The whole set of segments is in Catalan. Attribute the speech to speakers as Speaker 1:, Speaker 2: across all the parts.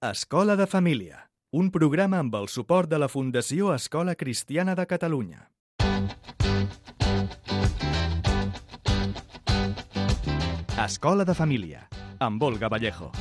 Speaker 1: Escola de Família, un programa amb el suport de la Fundació Escola Cristiana de Catalunya. Escola de Família, amb Olga Vallejo.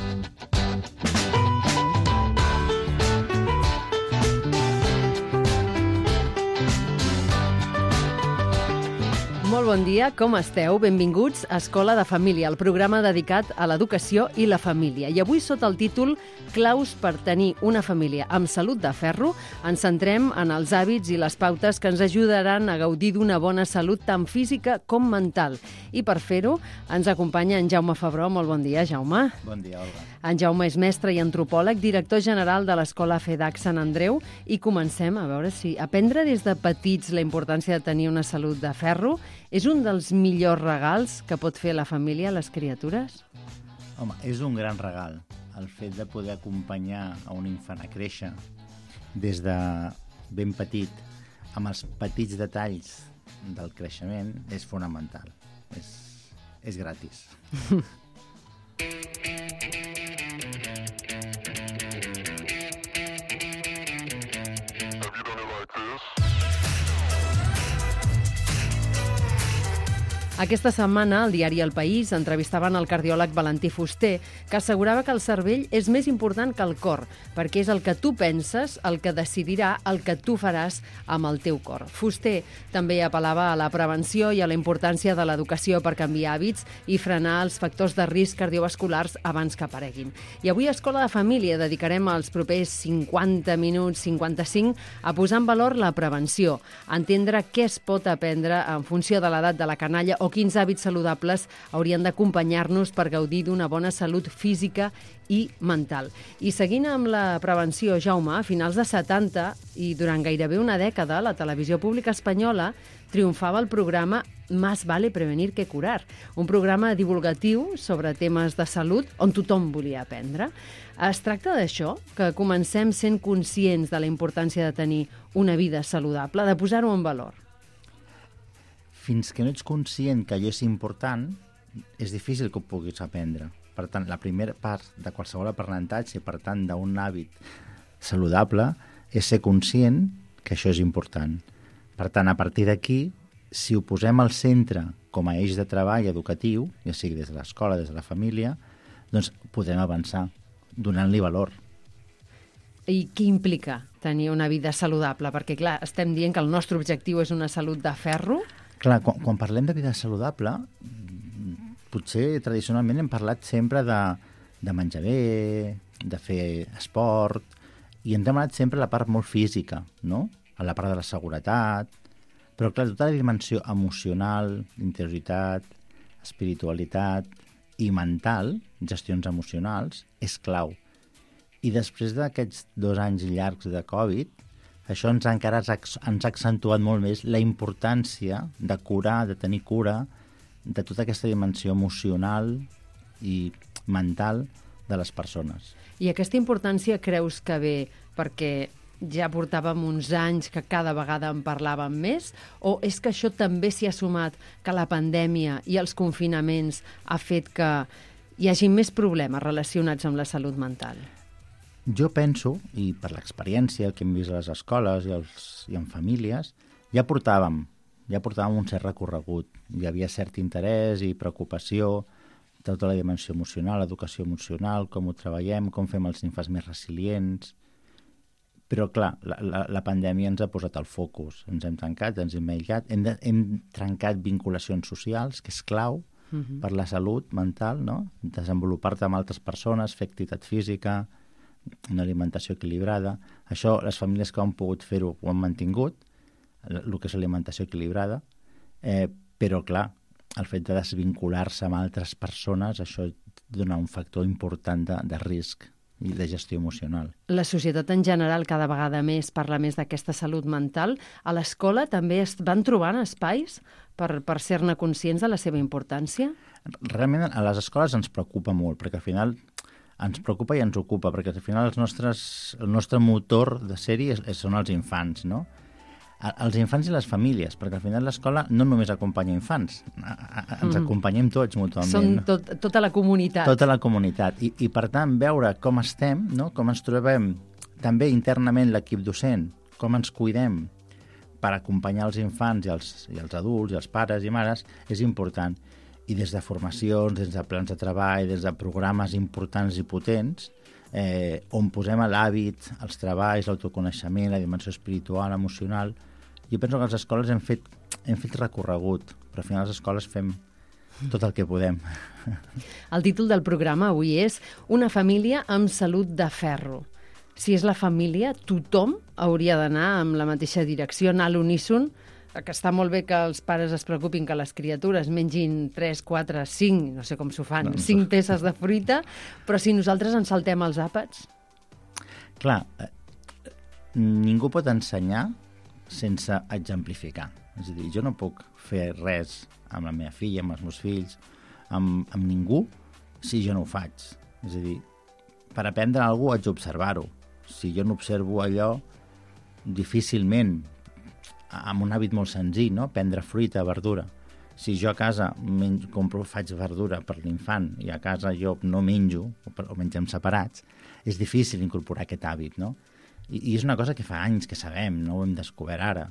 Speaker 2: Molt bon dia, com esteu? Benvinguts a Escola de Família, el programa dedicat a l'educació i la família. I avui, sota el títol Claus per tenir una família amb salut de ferro, ens centrem en els hàbits i les pautes que ens ajudaran a gaudir d'una bona salut tant física com mental. I per fer-ho, ens acompanya en Jaume Febró. Molt bon dia, Jaume.
Speaker 3: Bon dia, Olga.
Speaker 2: En Jaume és mestre i antropòleg, director general de l'Escola FEDAC Sant Andreu, i comencem a veure si aprendre des de petits la importància de tenir una salut de ferro és un dels millors regals que pot fer la família a les criatures?
Speaker 3: Home, és un gran regal. El fet de poder acompanyar a un infant a créixer des de ben petit, amb els petits detalls del creixement, és fonamental. És gratis.
Speaker 2: Aquesta setmana, al diari El País, entrevistaven el cardiòleg Valentí Fuster, que assegurava que el cervell és més important que el cor, perquè és el que tu penses el que decidirà el que tu faràs amb el teu cor. Fuster també apel·lava a la prevenció i a la importància de l'educació per canviar hàbits i frenar els factors de risc cardiovasculars abans que apareguin. I avui a Escola de Família dedicarem els propers 50 minuts, 55, a posar en valor la prevenció, a entendre què es pot aprendre en funció de l'edat de la canalla o quins hàbits saludables haurien d'acompanyar-nos per gaudir d'una bona salut física i mental. I seguint amb la prevenció, Jaume, a finals de 70 i durant gairebé una dècada, la televisió pública espanyola triomfava el programa Más vale prevenir que curar, un programa divulgatiu sobre temes de salut on tothom volia aprendre. Es tracta d'això, que comencem sent conscients de la importància de tenir una vida saludable, de posar-ho en valor.
Speaker 3: Fins que no ets conscient que allò és important, és difícil que ho puguis aprendre. Per tant, la primera part de qualsevol aprenentatge, per tant, d'un hàbit saludable, és ser conscient que això és important. Per tant, a partir d'aquí, si ho posem al centre com a eix de treball educatiu, ja sigui des de l'escola, des de la família, doncs podem avançar, donant-li valor.
Speaker 2: I què implica tenir una vida saludable? Perquè, clar, estem dient que el nostre objectiu és una salut de ferro.
Speaker 3: Clar, quan parlem de vida saludable, potser tradicionalment hem parlat sempre de menjar bé, de fer esport, i ens hem anat sempre a la part molt física, no? A la part de la seguretat, però clar, tota la dimensió emocional, interioritat, espiritualitat i mental, gestions emocionals, és clau. I després d'aquests 2 anys llargs de Covid, això ens ha accentuat molt més la importància de curar, de tenir cura de tota aquesta dimensió emocional i mental de les persones.
Speaker 2: I aquesta importància creus que ve perquè ja portàvem uns anys que cada vegada en parlàvem més, o és que això també s'hi ha sumat que la pandèmia i els confinaments ha fet que hi hagi més problemes relacionats amb la salut mental?
Speaker 3: Jo penso, i per l'experiència que hem vist a les escoles i en famílies, ja portàvem un cert recorregut. Hi havia cert interès i preocupació, tota la dimensió emocional, l'educació emocional, com ho treballem, com fem els infants més resilients. Però, clar, la pandèmia ens ha posat el focus. Ens hem tancat, ens hem aïllat, hem trencat vinculacions socials, que és clau per la salut mental, no? Desenvolupar-te amb altres persones, fer activitat física, una alimentació equilibrada. Això, les famílies que han pogut fer-ho ho han mantingut, el que és l'alimentació equilibrada, però, clar, el fet de desvincular-se amb altres persones, això dona un factor important de risc i de gestió emocional.
Speaker 2: La societat en general cada vegada més parla més d'aquesta salut mental. A l'escola també es van trobant espais per ser-ne conscients de la seva importància?
Speaker 3: Realment a les escoles ens preocupa molt, perquè al final ens preocupa i ens ocupa, perquè al final el nostre motor de sèrie són els infants, no? Els infants i les famílies, perquè al final l'escola no només acompanya infants, ens acompanyem tots mútuament.
Speaker 2: Són tota la comunitat.
Speaker 3: Tota la comunitat. I per tant, veure com estem, no? Com ens trobem també internament l'equip docent, com ens cuidem per acompanyar els infants i els adults i els pares i mares, és important. I des de formacions, des de plans de treball, des de programes importants i potents, on posem l'hàbit, els treballs, l'autoconeixement, la dimensió espiritual, emocional. Jo penso que a les escoles hem fet recorregut, però al final a les escoles fem tot el que podem.
Speaker 2: El títol del programa avui és Una família amb salut de ferro. Si és la família, tothom hauria d'anar amb la mateixa direcció, anar a l'uníson, que està molt bé que els pares es preocupin que les criatures mengin 3, 4, 5, no sé com s'ho fan, 5 peces de fruita, però si nosaltres ens saltem els àpats...
Speaker 3: Clar, ningú pot ensenyar sense exemplificar. És a dir, jo no puc fer res amb la meva filla, amb els meus fills, amb ningú, si jo no ho faig. És a dir, per aprendre alguna cosa haig d'observar-ho. Si jo no observo allò, difícilment, amb un hàbit molt senzill, no? Prendre fruita, verdura. Si jo a casa faig verdura per l'infant i a casa jo no menjo, o mengem separats, és difícil incorporar aquest hàbit, no? I és una cosa que fa anys que sabem, no ho hem descobert ara.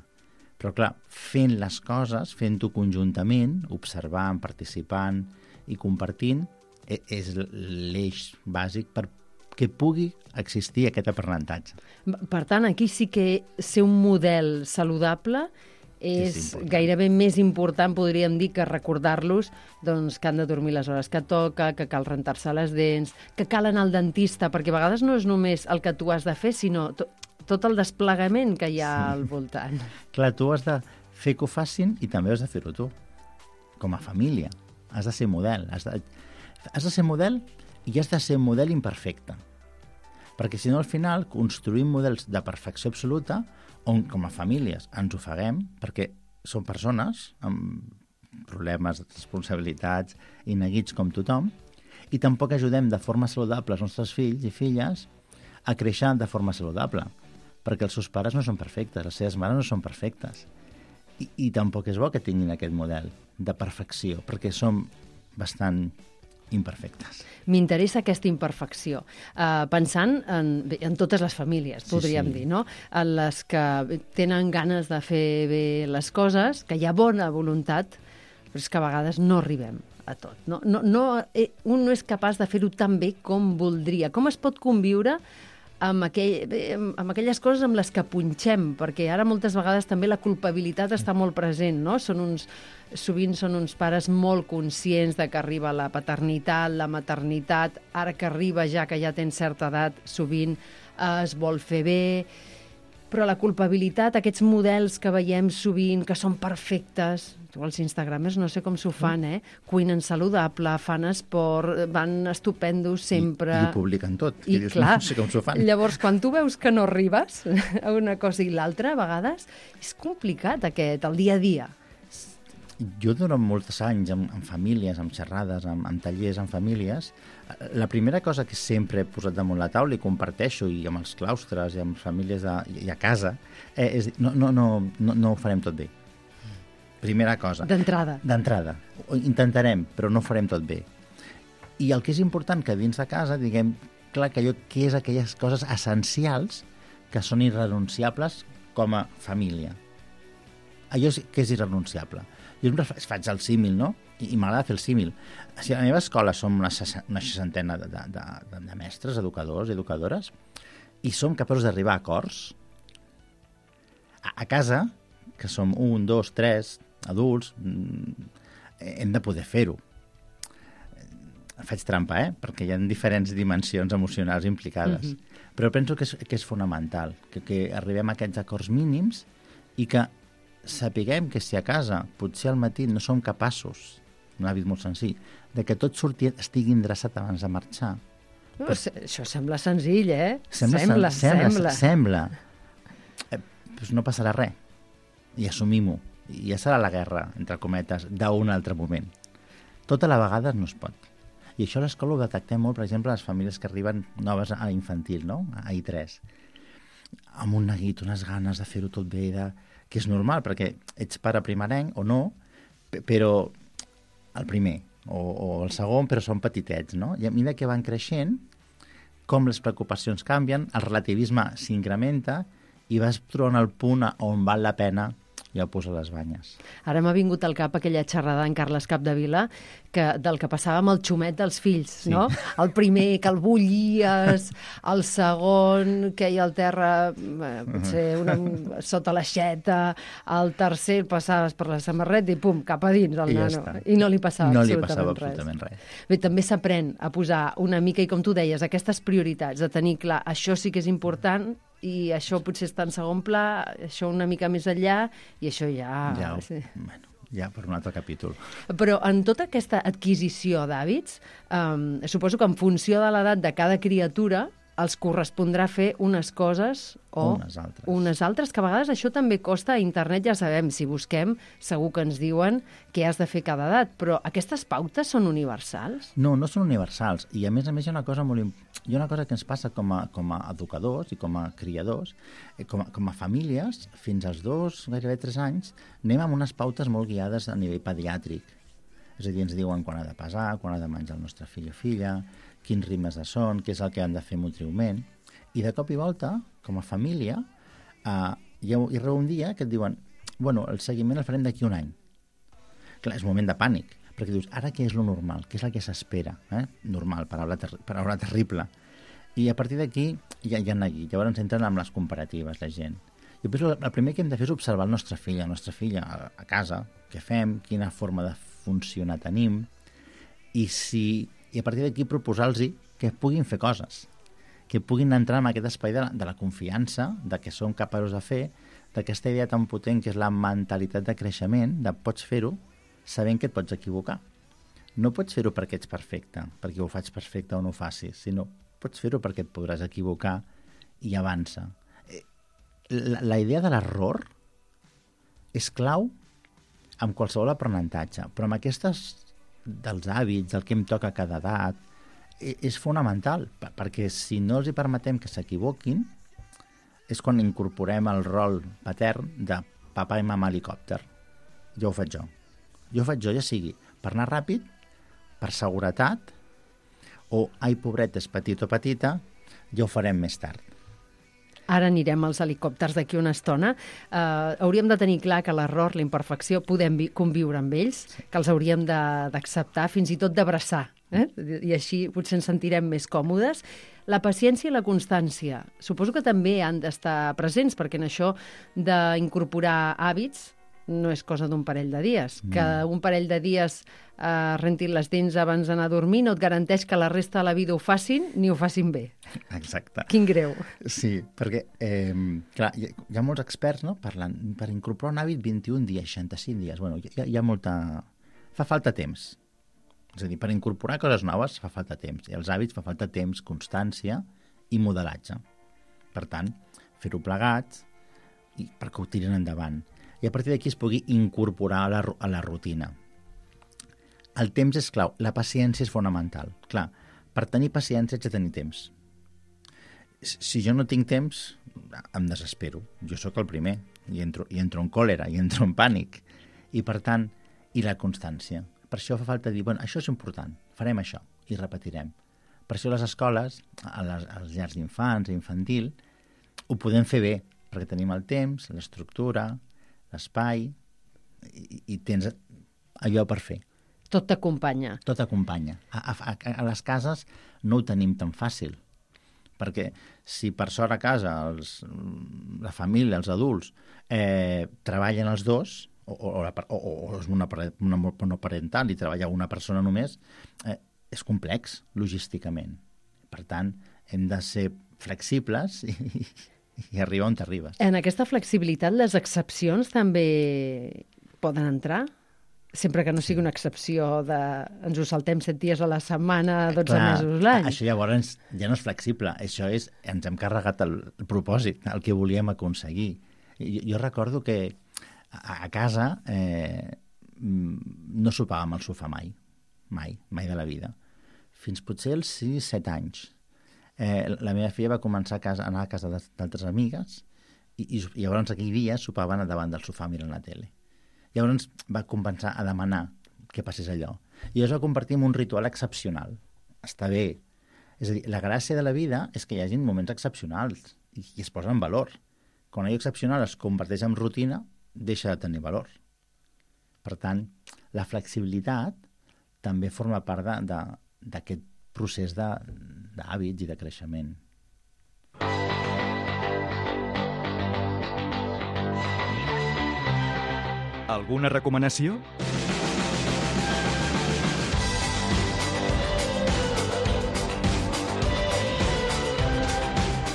Speaker 3: Però, clar, fent les coses, fent-ho conjuntament, observant, participant i compartint, és l'eix bàsic que pugui existir aquest aprenentatge.
Speaker 2: Per tant, aquí sí que ser un model saludable és gairebé més important, podríem dir, que recordar-los doncs, que han de dormir les hores que toca, que cal rentar-se les dents, que cal anar al dentista, perquè a vegades no és només el que tu has de fer, sinó tot el desplegament que hi ha al voltant.
Speaker 3: Clar, tu has de fer que ho facin i també has de fer-ho tu, com a família. Has de ser model. Has de ser model i has de ser un model imperfecte. Perquè si no, al final, construïm models de perfecció absoluta on, com a famílies, ens ofeguem perquè són persones amb problemes, responsabilitats i neguits com tothom, i tampoc ajudem de forma saludable els nostres fills i filles a créixer de forma saludable, perquè els seus pares no són perfectes, les seves mares no són perfectes. I tampoc és bo que tinguin aquest model de perfecció, perquè som bastant imperfectes.
Speaker 2: M'interessa aquesta imperfecció. Pensant en totes les famílies, podríem dir, no? En les que tenen ganes de fer bé les coses, que hi ha bona voluntat, però és que a vegades no arribem a tot. Un no és capaç de fer-ho tan bé com voldria. Com es pot conviure amb aquelles coses amb les que punxem? Perquè ara moltes vegades també la culpabilitat està molt present, no? Sovint són uns pares molt conscients de que arriba la paternitat, la maternitat, ara que arriba ja que ja tens certa edat, sovint es vol fer bé, però la culpabilitat, aquests models que veiem sovint, que són perfectes, els instagramers no sé com s'ho fan, cuinen saludable, fan esport, van estupendos sempre...
Speaker 3: I ho publiquen tot,
Speaker 2: i
Speaker 3: dius,
Speaker 2: clar,
Speaker 3: no sé com s'ho fan.
Speaker 2: Llavors, quan tu veus que no arribes a una cosa i l'altra, a vegades, és complicat el dia a dia.
Speaker 3: Jo durant molts anys, amb famílies, amb xerrades, amb tallers amb famílies, la primera cosa que sempre he posat damunt la taula i comparteixo, i amb els claustres i amb famílies i a casa, és dir, no ho farem tot bé. Primera cosa.
Speaker 2: D'entrada.
Speaker 3: Intentarem, però no ho farem tot bé. I el que és important que dins de casa diguem clar que què és aquelles coses essencials que són irrenunciables com a família. Allò que és irrenunciable. Jo sempre faig el símil, no? I m'agrada fer el símil. Si a la meva escola som una 60ena de mestres, educadors i educadores, i som capaços d'arribar a acords, a casa, que som 1, 2, 3 adults, hem de poder fer-ho. Faig trampa, perquè hi ha diferents dimensions emocionals implicades. Però penso que és fonamental, que arribem a aquests acords mínims i que sapiguem que si a casa potser al matí no som capaços, un hàbit molt senzill, de que tot estigui endreçat abans de marxar.
Speaker 2: Però això sembla senzill,
Speaker 3: Sembla. Pues no passarà res. I assumim-ho. I ja serà la guerra, entre cometes, d'un altre moment. Tot a la vegada no es pot. I això a l'escola ho detectem molt, per exemple, les famílies que arriben noves a infantil, no? A I3. Amb un neguit, unes ganes de fer-ho tot bé, que és normal, perquè ets pare primerenc o no, però el primer o el segon, però són petitets, no? I a mesura que van creixent, com les preocupacions canvien, el relativisme s'incrementa i vas trobant el punt on val la pena ja posar les banyes.
Speaker 2: Ara m'ha vingut al cap aquella xerrada en Carles Capdevila del que passava amb el xumet dels fills,
Speaker 3: Sí.
Speaker 2: no? El primer que el bullies, el segon que hi al terra potser sota l'aixeta, el tercer passaves per la samarreta i pum, cap a dins el
Speaker 3: I ja
Speaker 2: nano.
Speaker 3: està.
Speaker 2: I no li passava
Speaker 3: No li
Speaker 2: absolutament
Speaker 3: passava
Speaker 2: res.
Speaker 3: absolutament res.
Speaker 2: Bé, també s'aprèn a posar una mica, i com tu deies, aquestes prioritats, de tenir clar, això sí que és important i això potser està en segon pla, això una mica més enllà, i això ja... Sí.
Speaker 3: Bueno, ja per un altre capítol.
Speaker 2: Però en tota aquesta adquisició d'hàbits, suposo que en funció de l'edat de cada criatura els correspondrà fer unes coses o
Speaker 3: Unes altres.
Speaker 2: que a vegades això també costa. A internet ja sabem, si busquem, segur que ens diuen què has de fer cada edat, però aquestes pautes són universals?
Speaker 3: No, no són universals. I a més hi ha una cosa hi ha una cosa que ens passa com a educadors i com a criadors, com a famílies, fins als 2, gairebé 3 anys, anem amb unes pautes molt guiades a nivell pediàtric. És a dir, ens diuen quan ha de pesar, quan ha de menjar el nostre fill o filla, quins ritmes de son, què és el que han de fer motriument. I de cop i volta, com a família, hi arriba un dia que et diuen bueno, el seguiment el farem d'aquí un any. Clar, és un moment de pànic, perquè dius, ara què és lo normal? Què és el que s'espera? Normal, paraula terrible. I a partir d'aquí ja han aquí. Llavors entren amb les comparatives, la gent. Jo penso que el primer que hem de fer és observar el nostre fill, la nostra filla a casa, què fem, quina forma de funcionar tenim, i a partir d'aquí proposar-los que puguin fer coses, que puguin entrar en aquest espai de la confiança, de que som capaços de fer, d'aquesta idea tan potent que és la mentalitat de creixement, de pots fer-ho sabent que et pots equivocar. No pots fer-ho perquè ets perfecte, perquè ho faig perfecte o no ho facis, sinó pots fer-ho perquè et podràs equivocar i avança. La idea de l'error és clau amb qualsevol aprenentatge, però amb aquestes dels hàbits, del que em toca a cada edat, és fonamental, perquè si no els hi permetem que s'equivoquin, és quan incorporem el rol patern de papa i mama helicòpter. Jo ho faig jo. Jo ho faig jo, ja sigui per anar ràpid, per seguretat, o, ai, pobret, és petit o petita, ja ho farem més tard.
Speaker 2: Ara anirem als helicòpters d'aquí una estona. Hauríem de tenir clar que l'error, la imperfecció, podem conviure amb ells, que els hauríem d'acceptar, fins i tot d'abraçar. I així potser ens sentirem més còmodes. La paciència i la constància, suposo que també han d'estar presents, perquè en això d'incorporar hàbits no és cosa d'un parell de dies. Que un parell de dies rentin les dents abans d'anar a dormir no et garanteix que la resta de la vida ho facin ni ho facin bé.
Speaker 3: Exacte.
Speaker 2: Quin greu.
Speaker 3: Sí, perquè clar, hi ha molts experts, no, parlant per incorporar un hàbit 21 dies, 65 dies. Bueno, hi ha molta... Fa falta temps. És a dir, per incorporar coses noves fa falta temps. I els hàbits fa falta temps, constància i modelatge. Per tant, fer-ho plegats i perquè ho tiren endavant. I a partir d'aquí es pugui incorporar a la rutina. El temps és clau, la paciència és fonamental. Clar, per tenir paciència haig de tenir temps. Si jo no tinc temps, em desespero. Jo sóc el primer, i entro en còlera, i entro en pànic. I per tant, i la constància. Per això fa falta dir, bueno, això és important, farem això, i repetirem. Per això a les escoles, als llars d'infants, infantil, ho podem fer bé, perquè tenim el temps, l'estructura, l'espai, i tens allò per fer.
Speaker 2: Tot t'acompanya.
Speaker 3: Tot acompanya. A les cases no ho tenim tan fàcil, perquè si per sort a casa la família, els adults, treballen els dos, o és una monoparental i treballa una persona només, és complex logísticament. Per tant, hem de ser flexibles i arribar on t'arribes.
Speaker 2: En aquesta flexibilitat, les excepcions també poden entrar? Sempre que no sigui una excepció de ens ho saltem 7 dies a la setmana, 12 mesos l'any.
Speaker 3: Això llavors ja no és flexible. Això és, ens hem carregat el propòsit, el que volíem aconseguir. Jo recordo que a casa no sopàvem al sofà mai de la vida. Fins potser els 6-7 anys. La meva filla va començar a anar a casa d'altres amigues I llavors aquell dia sopaven davant del sofà mirant la tele. Llavors va començar a demanar que passés allò. I es va convertir en un ritual excepcional. Està bé. És a dir, la gràcia de la vida és que hi hagi moments excepcionals i es posa en valor. Quan allò excepcional es converteix en rutina, deixa de tenir valor. Per tant, la flexibilitat també forma part d'aquest procés d'hàbits i de creixement.
Speaker 1: Alguna recomanació?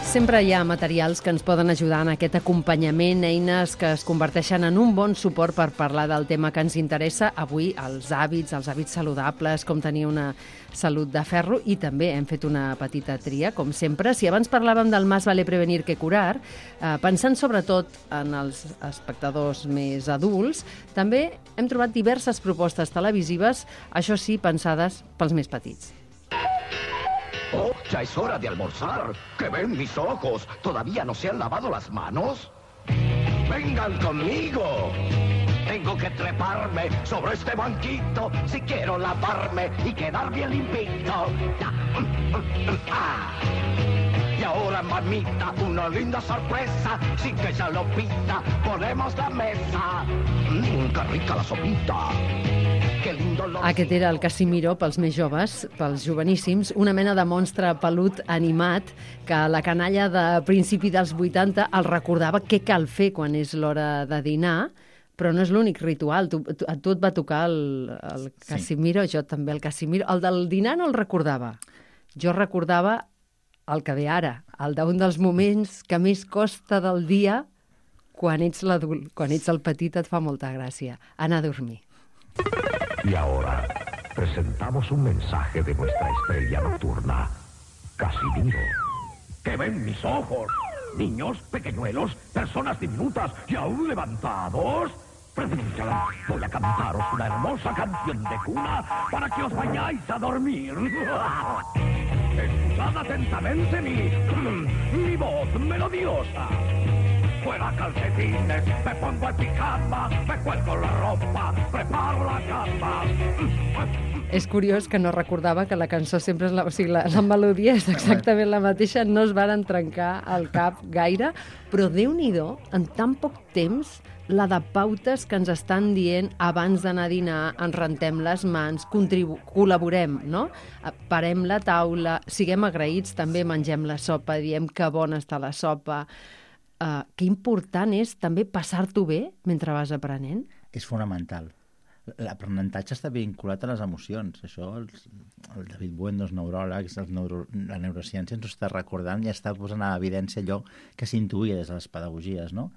Speaker 2: Sempre hi ha materials que ens poden ajudar en aquest acompanyament, eines que es converteixen en un bon suport per parlar del tema que ens interessa. Avui, els hàbits saludables, com tenir una salut de ferro, i també hem fet una petita tria, com sempre. Si abans parlàvem del más vale prevenir que curar, pensant sobretot en els espectadors més adults, també hem trobat diverses propostes televisives, això sí, pensades pels més petits.
Speaker 4: ¡Oh, ya es hora de almorzar! ¡Que ven mis ojos! ¿Todavía no se han lavado las manos? ¡Vengan conmigo! Tengo que treparme sobre este banquito si quiero lavarme y quedar bien limpito. Y ahora, mamita, una linda sorpresa, sin que ella lo pida, ponemos la mesa. ¡Qué rica la sopita!
Speaker 2: Aquest era el Casimiro pels més joves, pels joveníssims, una mena de monstre pelut animat que la canalla de principi dels 80 el recordava què cal fer quan és l'hora de dinar, però no és l'únic ritual. A tu et va tocar el Casimiro, jo també el Casimiro. El del dinar no el recordava. Jo recordava el que ve ara, el d'un dels moments que més costa del dia quan ets l'adult. Quan ets el petit et fa molta gràcia. Anar a dormir.
Speaker 4: Y ahora presentamos un mensaje de nuestra estrella nocturna, Casimiro. ¡Que ven mis ojos! Niños, pequeñuelos, personas diminutas y aún levantados. Voy a cantaros una hermosa canción de cuna para que os vayáis a dormir. Escuchad atentamente mi voz melodiosa. Fuera calcetines, me pongo en pijama, me cuelgo la ropa, preparo la cama.
Speaker 2: És curiós que no recordava que la cançó sempre és la melodia és exactament la mateixa, no es varen trencar al cap gaire, però Déu-n'hi-do, en tan poc temps, la de pautes que ens estan dient abans d'anar a dinar, ens rentem les mans, col·laborem, no? Parem la taula, siguem agraïts, també mengem la sopa, diem que bona està la sopa. Que important és també passar-t'ho bé mentre vas aprenent?
Speaker 3: És fonamental. L'aprenentatge està vinculat a les emocions. Això el David Buendo, els neuròlegs, la neurociència ens ho està recordant i està posant a evidència allò que s'intuïa des de les pedagogies, no?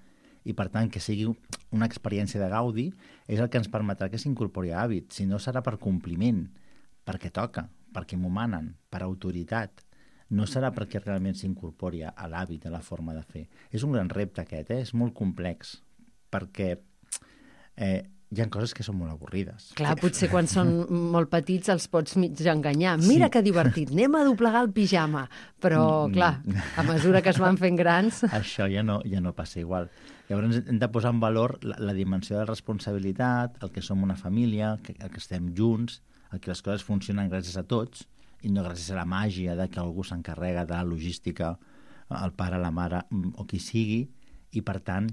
Speaker 3: I per tant, que sigui una experiència de gaudi és el que ens permetrà que s'incorpori a hàbit. Si no, serà per compliment, perquè toca, perquè m'ho manen, per autoritat. No serà perquè realment s'incorpori a l'hàbit, a la forma de fer. És un gran repte aquest, és molt complex, perquè hi ha coses que són molt avorrides.
Speaker 2: Clar, potser quan són molt petits els pots mig enganyar. Mira que divertit, anem a doblegar el pijama. Però, clar, a mesura que es van fent grans...
Speaker 3: Això ja no passa igual. Llavors hem de posar en valor la dimensió de responsabilitat, el que som una família, el que estem junts, el que les coses funcionen gràcies a tots, i no gràcies a la màgia de que algú s'encarrega de la logística, el pare, la mare o qui sigui, i per tant,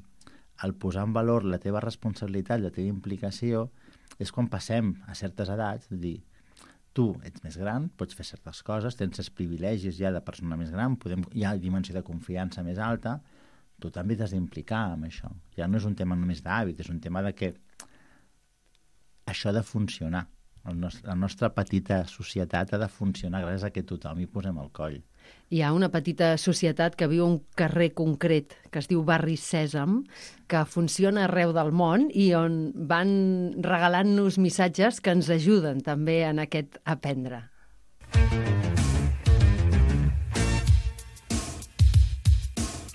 Speaker 3: el posar en valor la teva responsabilitat, la teva implicació, és quan passem a certes edats, de dir, tu ets més gran, pots fer certes coses, tens els privilegis ja de persona més gran, hi ha dimensió de confiança més alta, tu també t'has d'implicar amb això. Ja no és un tema només d'hàbit, és un tema de que això ha de funcionar. La nostra petita societat ha de funcionar gràcies a que tothom hi posem el coll.
Speaker 2: Hi ha una petita societat que viu un carrer concret que es diu Barri Sèsam, que funciona arreu del món i on van regalant-nos missatges que ens ajuden també en aquest aprendre.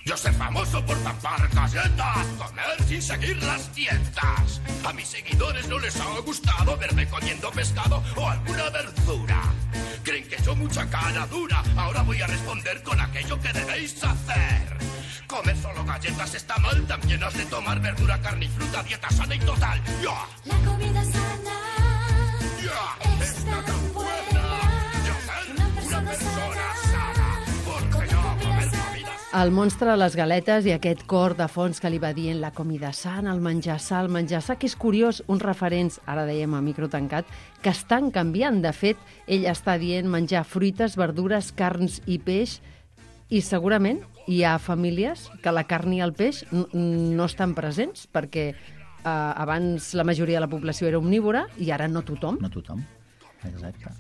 Speaker 5: Yo soy famoso por tapar galletas, comer sin seguir las dietas. A mis seguidores no les ha gustado verme comiendo pescado o alguna verdura. Creen que yo mucha cara dura, ahora voy a responder con aquello que debéis hacer. Comer solo galletas está mal, también has de tomar verdura, carne y fruta, dieta sana y total. ¡Ya!
Speaker 6: La comida sana
Speaker 5: ¡Ya!
Speaker 6: está tan buena.
Speaker 5: Yo ser una persona sana, porque yo comer comida.
Speaker 2: El monstre a les galetes i aquest cor de fons que li va dient la comida sana, el menjar sa, que és curiós, uns referents, ara dèiem a micro tancat, que estan canviant. De fet, ell està dient menjar fruites, verdures, carns i peix, i segurament hi ha famílies que la carn i el peix no estan presents, perquè abans la majoria de la població era omnívora i ara no tothom.
Speaker 3: No tothom, exacte.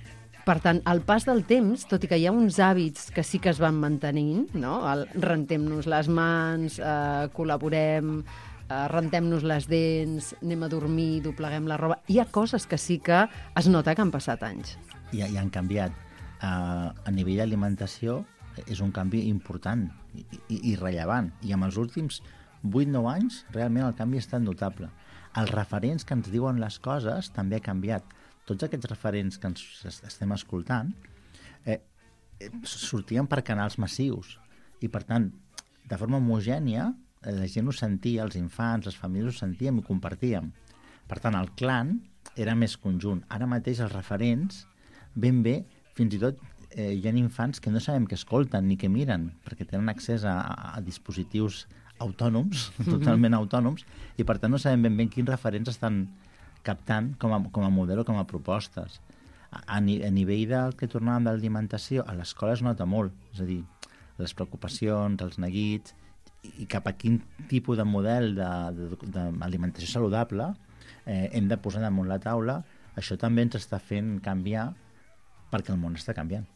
Speaker 2: Per tant, al pas del temps, tot i que hi ha uns hàbits que sí que es van mantenint, no? Rentem-nos les mans, col·laborem, rentem-nos les dents, anem a dormir, dobleguem la roba... Hi ha coses que sí que es nota que han passat anys.
Speaker 3: I han canviat. A nivell d'alimentació és un canvi important i rellevant. I amb els últims 8-9 anys, realment el canvi ha estat notable. Els referents que ens diuen les coses també ha canviat. Tots aquests referents que ens estem escoltant sortien per canals massius i, per tant, de forma homogènia, la gent ho sentia, els infants, les famílies ho sentíem i ho compartíem. Per tant, el clan era més conjunt. Ara mateix els referents, ben bé, fins i tot hi ha infants que no sabem què escolten ni què miren, perquè tenen accés a dispositius autònoms, totalment autònoms, i per tant no sabem ben bé quins referents estan captant com a model o com a propostes. A nivell del que tornàvem de l'alimentació, a l'escola es nota molt, és a dir, les preocupacions, els neguits, i cap a quin tipus de model d'alimentació saludable hem de posar damunt la taula. Això també ens està fent canviar perquè el món està canviant.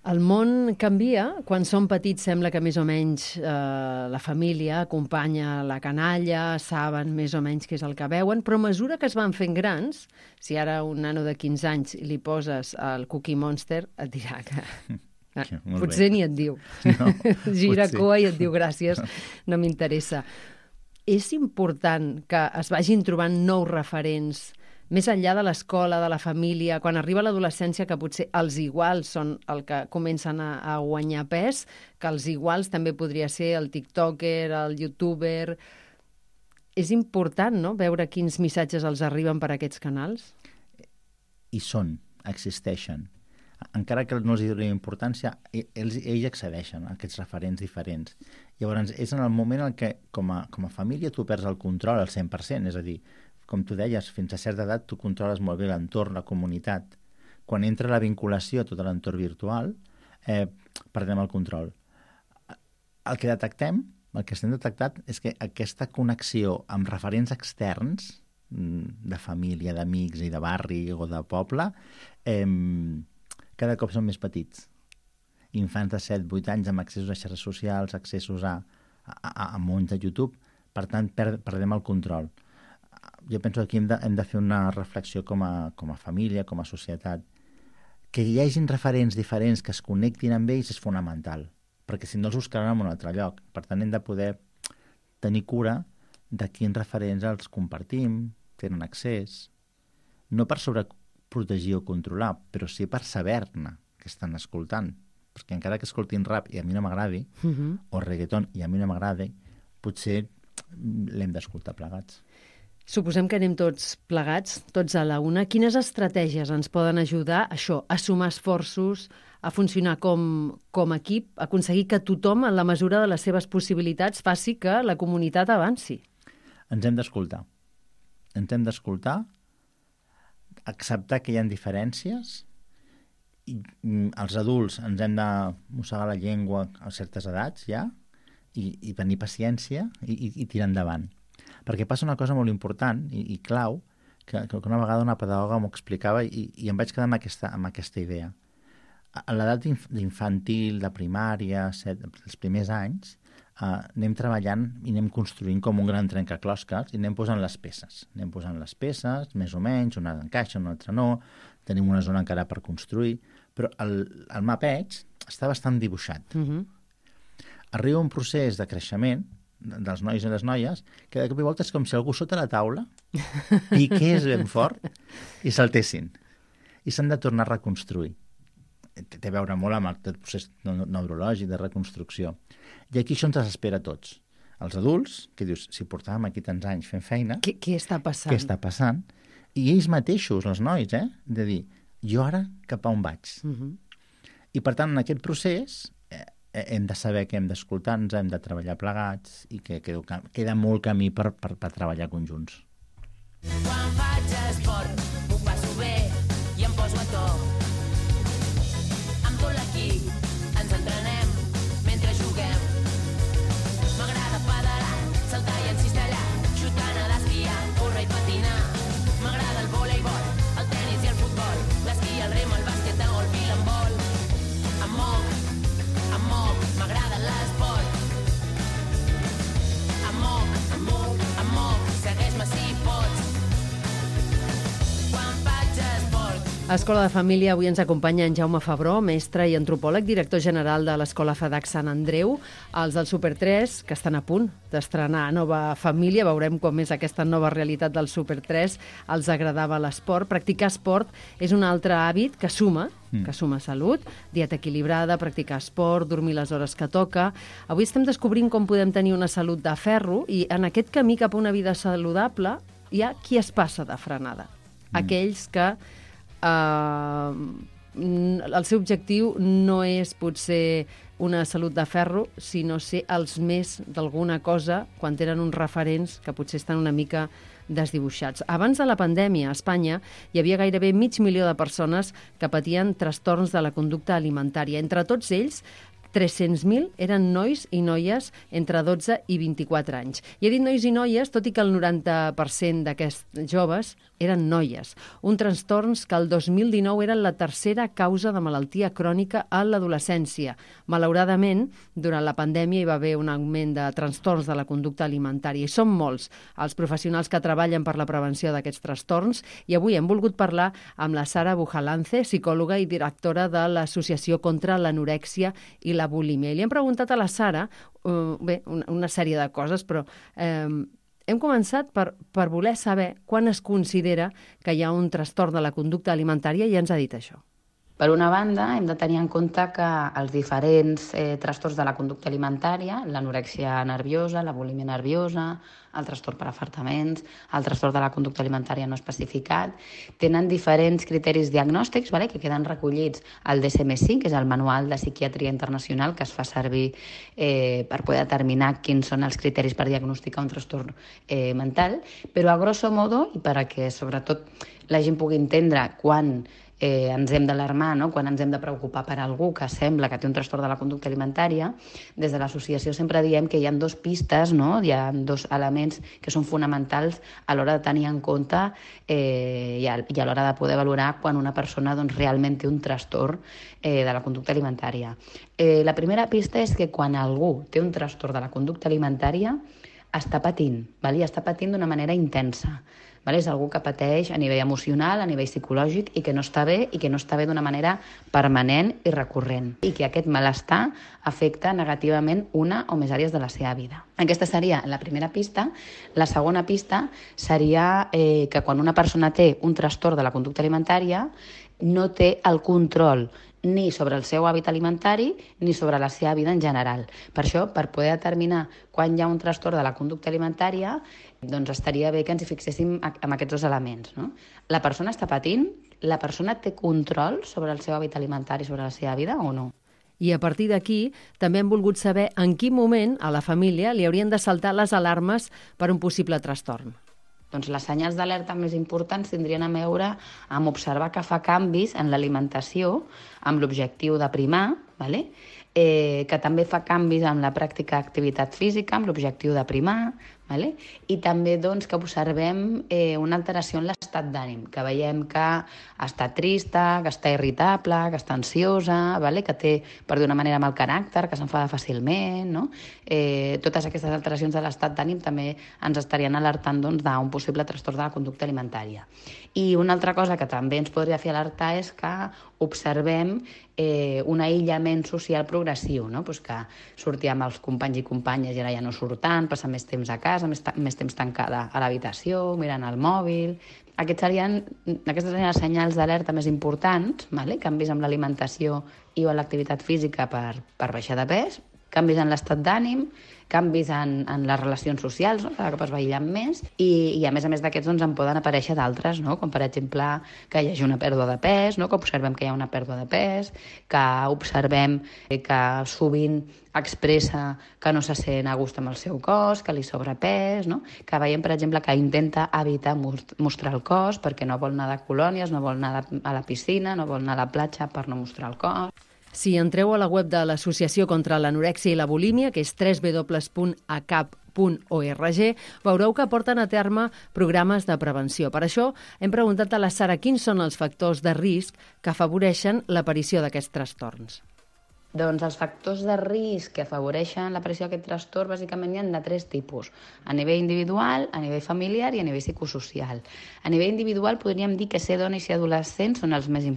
Speaker 2: El món canvia. Quan som petits sembla que més o menys la família acompanya la canalla, saben més o menys què és el que veuen, però a mesura que es van fent grans, si ara un nano de 15 anys li poses el Cookie Monster, et dirà que... potser ni et diu.
Speaker 3: No,
Speaker 2: Gira
Speaker 3: potser.
Speaker 2: cua i et diu gràcies, no m'interessa. És important que es vagin trobant nous referents més enllà de l'escola, de la família, quan arriba l'adolescència, que potser els iguals són el que comencen a guanyar pes, que els iguals també podria ser el tiktoker, el youtuber... És important, no?, veure quins missatges els arriben per aquests canals?
Speaker 3: I existeixen. Encara que no els donin importància, ells accedeixen a aquests referents diferents. Llavors, és en el moment en què, com a família, tu perds el control al 100%, és a dir, com tu deies, fins a certa edat tu controles molt bé l'entorn, la comunitat. Quan entra la vinculació a tot l'entorn virtual, perdem el control. El que estem detectat és que aquesta connexió amb referents externs, de família, d'amics i de barri o de poble, cada cop són més petits. Infants de 7-8 anys amb accessos a xarxes socials, accessos a mons de YouTube, per tant perdem el control. Jo penso que aquí hem de fer una reflexió com a família, com a societat. Que hi hagin referents diferents que es connectin amb ells és fonamental, perquè si no els buscaran en un altre lloc. Per tant, hem de poder tenir cura de quins referents els compartim, tenen accés, no per sobreprotegir o controlar, però sí per saber-ne que estan escoltant. Perquè encara que escoltin rap i a mi no m'agradi, o reggaeton i a mi no m'agradi, potser l'hem d'escoltar plegats.
Speaker 2: Suposem que anem tots plegats, tots a la una. Quines estratègies ens poden ajudar a sumar esforços, a funcionar com equip, a aconseguir que tothom, en la mesura de les seves possibilitats, faci que la comunitat avanci?
Speaker 3: Ens hem d'escoltar. Acceptar que hi ha diferències. I els adults ens hem de mossegar la llengua a certes edats ja i tenir paciència i tirar endavant. Perquè passa una cosa molt important i clau, que una vegada una pedagoga m'ho explicava i em vaig quedar amb aquesta idea. A l'edat infantil, de primària, els primers anys, anem treballant i anem construint com un gran trencaclosques i anem posant les peces. Més o menys, una encaixa, una altra no, tenim una zona encara per construir, però el mapeig està bastant dibuixat. Arriba un procés de creixement dels nois i les noies, que de cop i volta és com si algú sota la taula piqués ben fort i saltessin. I s'han de tornar a reconstruir. té a veure molt amb el procés neurològic de reconstrucció. I aquí això ens desespera a tots. Els adults, que dius, si portàvem aquí tants anys fent feina...
Speaker 2: Què està passant?
Speaker 3: Què està passant? I ells mateixos, els nois, de dir, jo ara cap a on vaig? I per tant, en aquest procés hem de saber que hem d'escoltar-nos, hem de treballar plegats i que queda molt camí per treballar conjunts.
Speaker 7: Quan faig esport, m'ho passo bé i em poso a to. Amb tot l'equip ens entrenem mentre juguem. M'agrada pedalar, saltar i encistellar, xutar, nedar, esquiar, córrer i patinar. M'agrada el voleibol, el tenis i el futbol, l'esquí, el rem, el bàsquet, el golf i l'handbol. Em moc, m'agrada l'esport. Em moc, segueix-me si pots.
Speaker 2: A Escola de Família avui ens acompanya en Jaume Febró, mestre i antropòleg, director general de l'Escola FEDAC Sant Andreu. Els del Super 3, que estan a punt d'estrenar nova família, veurem com és aquesta nova realitat del Super 3. Els agradava l'esport. Practicar esport és un altre hàbit que suma salut, dieta equilibrada, practicar esport, dormir les hores que toca. Avui estem descobrint com podem tenir una salut de ferro i en aquest camí cap a una vida saludable hi ha qui es passa de frenada. Aquells que el seu objectiu no és potser una salut de ferro, sinó ser els més d'alguna cosa quan tenen uns referents que potser estan una mica desdibuixats. Abans de la pandèmia, a Espanya hi havia gairebé 500.000 de persones que patien trastorns de la conducta alimentària. Entre tots ells, 300.000 eren nois i noies entre 12 i 24 anys. I he dit nois i noies, tot i que el 90% d'aquests joves eren noies. Un trastorns que el 2019 eren la tercera causa de malaltia crònica a l'adolescència. Malauradament, durant la pandèmia hi va haver un augment de trastorns de la conducta alimentària i són molts els professionals que treballen per la prevenció d'aquests trastorns i avui hem volgut parlar amb la Sara Bujalance, psicòloga i directora de l'Associació contra l'Anorèxia i la bulímia. I li hem preguntat a la Sara una sèrie de coses, però hem començat per voler saber quan es considera que hi ha un trastorn de la conducta alimentària i ens ha dit això.
Speaker 8: Per una banda, hem de tenir en compte que els diferents trastorns de la conducta alimentària, l'anorèxia nerviosa, la bulímia nerviosa, el trastorn per afartaments, el trastorn de la conducta alimentària no especificat, tenen diferents criteris diagnòstics que queden recollits al DSM-5, que és el Manual de Psiquiatria Internacional que es fa servir per poder determinar quins són els criteris per diagnosticar un trastorn mental, però a grosso modo, i perquè sobretot la gent pugui entendre quan ens hem d'alarmar, no? Quan ens hem de preocupar per algú que sembla que té un trastorn de la conducta alimentària, des de l'associació sempre diem que hi ha dues pistes, no? Hi ha dos elements que són fonamentals a l'hora de tenir en compte i a l'hora de poder valorar quan una persona realment té un trastorn de la conducta alimentària. La primera pista és que quan algú té un trastorn de la conducta alimentària està patint, i està patint d'una manera intensa. És algú que pateix a nivell emocional, a nivell psicològic i que no està bé d'una manera permanent i recurrent i que aquest malestar afecta negativament una o més àrees de la seva vida. Aquesta seria la primera pista. La segona pista seria que quan una persona té un trastorn de la conducta alimentària no té el control ni sobre el seu hàbit alimentari ni sobre la seva vida en general. Per això, per poder determinar quan hi ha un trastorn de la conducta alimentària, doncs estaria bé que ens hi fixéssim en aquests dos elements, no? La persona està patint, la persona té control sobre el seu hàbit alimentari, sobre la seva vida o no?
Speaker 2: I a partir d'aquí també hem volgut saber en quin moment a la família li haurien de saltar les alarmes per un possible trastorn.
Speaker 8: Doncs les senyals d'alerta més importants tindrien a veure amb observar que fa canvis en l'alimentació amb l'objectiu de primar, que també fa canvis en la pràctica d'activitat física amb l'objectiu de primar, i també que observem una alteració en l'estat d'ànim, que veiem que està trista, que està irritable, que està ansiosa, que té, per dir una manera, mal caràcter, que s'enfada fàcilment, no? Totes aquestes alteracions de l'estat d'ànim també ens estarien alertant d'un possible trastorn de la conducta alimentària. I una altra cosa que també ens podria fer alertar és que observem un aïllament social progressiu, no? Que sortia amb els companys i companyes i ara ja no surt tant, passa més temps a casa, més temps tancada a l'habitació, mirant el mòbil, Aquestes serien els senyals d'alerta més importants, vale? Canvis amb l'alimentació i o l'activitat física per baixar de pes, canvis en l'estat d'ànim, canvis en les relacions socials, no? Cada cop es va aïllant més, i a més d'aquests doncs, en poden aparèixer d'altres, no? Com per exemple que hi hagi una pèrdua de pes, no? Que observem que hi ha una pèrdua de pes, que observem que sovint expressa que no se sent a gust amb el seu cos, que li sobra pes, no? Que veiem, per exemple, que intenta evitar mostrar el cos perquè no vol anar de colònies, no vol anar a la piscina, no vol anar a la platja per no mostrar el cos.
Speaker 2: Si entreu a la web de l'Associació contra l'Anorèxia i la Bulímia, que és www.acap.org, veureu que porten a terme programes de prevenció. Per això hem preguntat a la Sara quins són els factors de risc que afavoreixen l'aparició d'aquests trastorns.
Speaker 8: Doncs els factors de risc que afavoreixen l'aparició d'aquest trastorn bàsicament hi ha de 3 tipus, a nivell individual, a nivell familiar i a nivell psicosocial. A nivell individual podríem dir que ser dona i ser adolescent són els més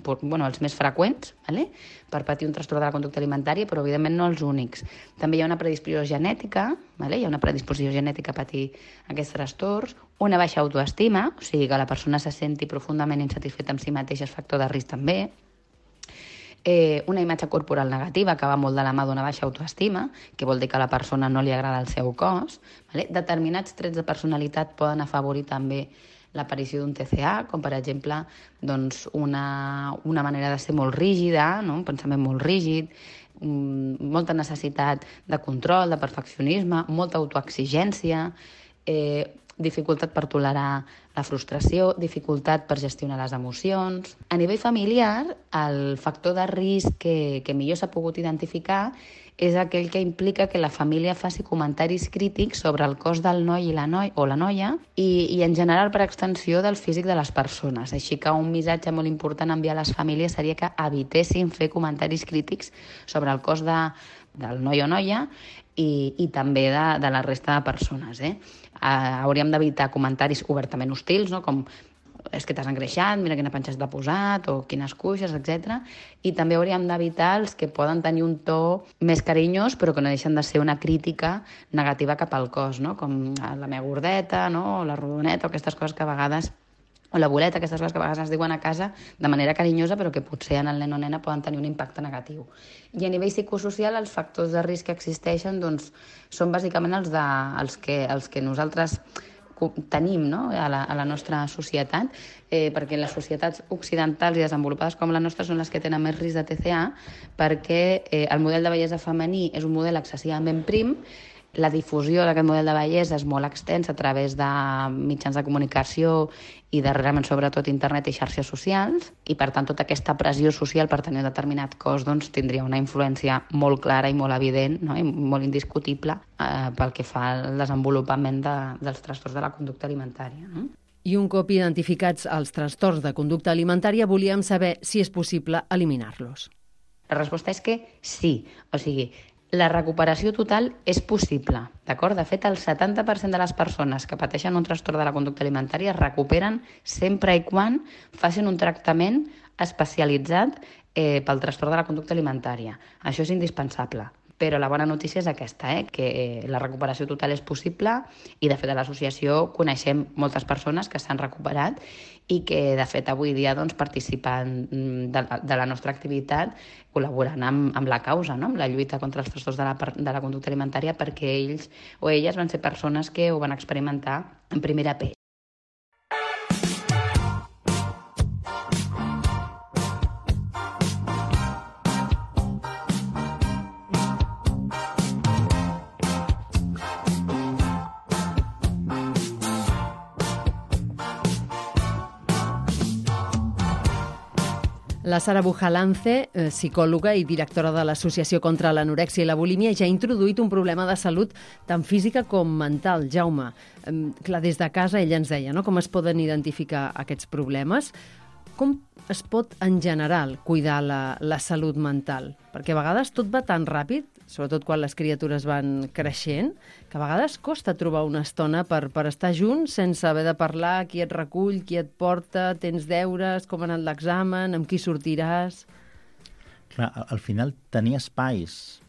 Speaker 8: freqüents, ¿vale? Per patir un trastorn de la conducta alimentària, però evidentment no els únics. També hi ha una predisposició genètica, ¿vale? Hi ha una predisposició genètica a patir aquests trastorns, una baixa autoestima, o sigui que la persona se senti profundament insatisfeta amb si mateixa és factor de risc també, una imatge corporal negativa que va molt de la mà d'una baixa autoestima, que vol dir que a la persona no li agrada el seu cos. ¿Vale? Determinats trets de personalitat poden afavorir també l'aparició d'un TCA, com per exemple doncs, una manera de ser molt rígida, no? Un pensament molt rígid, molta necessitat de control, de perfeccionisme, molta autoexigència, dificultat per tolerar la frustració, dificultat per gestionar les emocions. A nivell familiar, el factor de risc que millor s'ha pogut identificar és aquell que implica que la família faci comentaris crítics sobre el cos del noi i la noia i en general per extensió del físic de les persones. Així que un missatge molt important a enviar a les famílies seria que evitessin fer comentaris crítics sobre el cos del noi o noia i també de la resta de persones. Hauríem d'evitar comentaris obertament hostils, no? Com és que t'has engreixat, mira quina panxa t'ha posat, o quines cuixes, etc. I també hauríem d'evitar els que poden tenir un to més carinyós, però que no deixen de ser una crítica negativa cap al cos, no? Com la meva gordeta, no? O la rodoneta, o aquestes coses que a vegades o la boleta, aquestes coses que a vegades es diuen a casa de manera carinyosa, però que potser en el nen o nena poden tenir un impacte negatiu. I a nivell psicosocial, els factors de risc que existeixen doncs, són bàsicament els que nosaltres tenim, no? a la nostra societat, perquè les societats occidentals i desenvolupades com la nostra són les que tenen més risc de TCA, perquè el model de bellesa femení és un model excessivament prim, la difusió d'aquest model de bellesa és molt extensa a través de mitjans de comunicació i darrerament sobretot internet i xarxes socials, i per tant tota aquesta pressió social per tenir un determinat cos doncs, tindria una influència molt clara i molt evident, no? I molt indiscutible pel que fa al desenvolupament dels trastorns de la conducta alimentària. No?
Speaker 2: I un cop identificats els trastorns de conducta alimentària, volíem saber si és possible eliminar-los.
Speaker 8: La resposta és que sí, o sigui, la recuperació total és possible, d'acord? De fet, el 70% de les persones que pateixen un trastorn de la conducta alimentària es recuperen sempre i quan facin un tractament especialitzat pel trastorn de la conducta alimentària. Això és indispensable. Però la bona notícia és aquesta, que la recuperació total és possible i, de fet, a l'associació coneixem moltes persones que s'han recuperat i que, de fet, avui dia doncs, participen de la nostra activitat col·laborant amb la causa, no? Amb la lluita contra els trastorns de la conducta alimentària, perquè ells o elles van ser persones que ho van experimentar en primera pell.
Speaker 2: La Sara Bujalance, psicòloga i directora de l'Associació contra l'Anorèxia i la Bulímia, ja ha introduït un problema de salut tant física com mental. Jaume, clar, des de casa ella ens deia, no?, com es poden identificar aquests problemes. Com es pot, en general, cuidar la salut mental? Perquè a vegades tot va tan ràpid, sobretot quan les criatures van creixent, que a vegades costa trobar una estona per estar junts sense haver de parlar qui et recull, qui et porta, tens deures, com ha anat l'examen, amb qui sortiràs...
Speaker 3: Clar, al final tenir espais,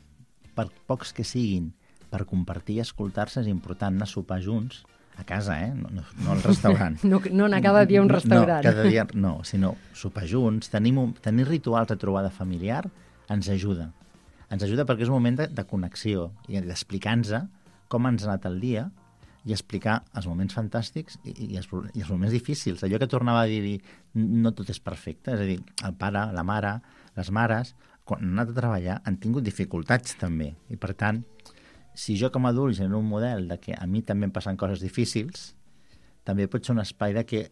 Speaker 3: per pocs que siguin, per compartir i escoltar-se és important, anar a sopar junts, A casa, no al restaurant.
Speaker 2: No anar cada dia a un restaurant.
Speaker 3: No, cada dia no, sinó sopar junts, tenir rituals de trobada familiar ens ajuda. Ens ajuda perquè és un moment de connexió i d'explicar-nos com ens ha anat el dia i explicar els moments fantàstics i els moments difícils. Allò que tornava a dir, no tot és perfecte, és a dir, el pare, la mare, les mares, quan han anat a treballar han tingut dificultats també. I per tant, si jo com a adult genero un model de que a mi també em passen coses difícils, també pot ser un espai de que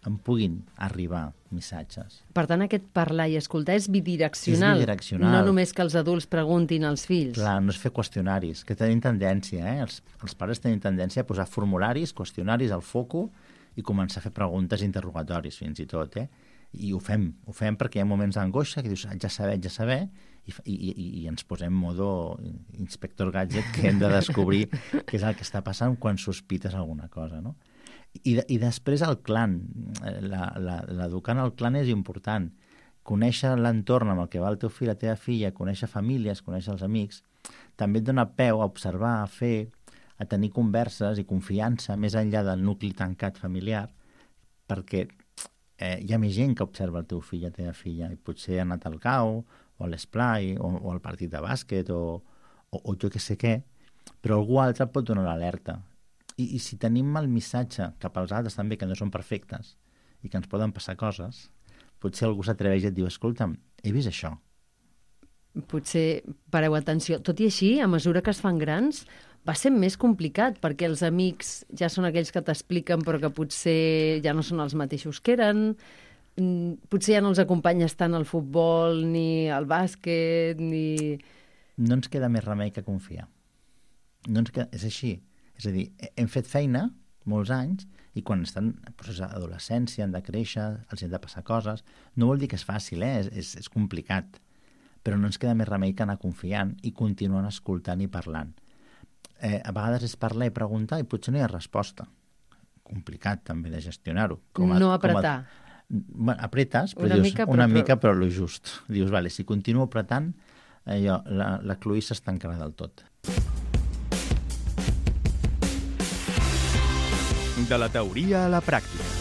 Speaker 3: em puguin arribar missatges.
Speaker 2: Per tant, aquest parlar i escoltar és bidireccional.
Speaker 3: És bidireccional.
Speaker 2: No només que els adults preguntin als fills.
Speaker 3: Clar, no és fer qüestionaris, que tenim tendència, els pares tenen tendència a posar formularis, qüestionaris al foco i començar a fer preguntes i interrogatoris, fins i tot, I ho fem perquè hi ha moments d'angoixa que dius, ja saber, i ens posem modo inspector gadget, que hem de descobrir què és el que està passant quan sospites alguna cosa, no? I després el clan, l'educar en el clan és important. Conèixer l'entorn amb el que va el teu fill, la teva filla, conèixer famílies, conèixer els amics, també et dona peu a observar, a fer, a tenir converses i confiança més enllà del nucli tancat familiar, perquè hi ha més gent que observa el teu fill, la teva filla, i potser ha anat al cau, o a l'esplai, o al partit de bàsquet, o jo que sé què, però algú altre pot donar l'alerta. I si tenim el missatge cap als altres també, que no són perfectes i que ens poden passar coses, potser algú s'atreveix i et diu, escolta'm, he vist això.
Speaker 2: Potser pareu atenció. Tot i així, a mesura que es fan grans, va ser més complicat, perquè els amics ja són aquells que t'expliquen però que potser ja no són els mateixos que eren, potser ja no els acompanyes tant al futbol, ni al bàsquet, ni...
Speaker 3: No ens queda més remei que confiar. És així. És a dir, hem fet feina molts anys i quan estan en procés d'adolescència, han de créixer, els han de passar coses. No vol dir que és fàcil, és complicat. Però no ens queda més remei que anar confiant i continuant escoltant i parlant. A vegades és parlar i preguntar i potser no hi ha resposta. Complicat també de gestionar-ho.
Speaker 2: No apretar.
Speaker 3: Apretes, però una mica, però lo just. Dius, vale, si continuo apretant, la cloïssa es tancarà del tot.
Speaker 1: De la teoria a la pràctica.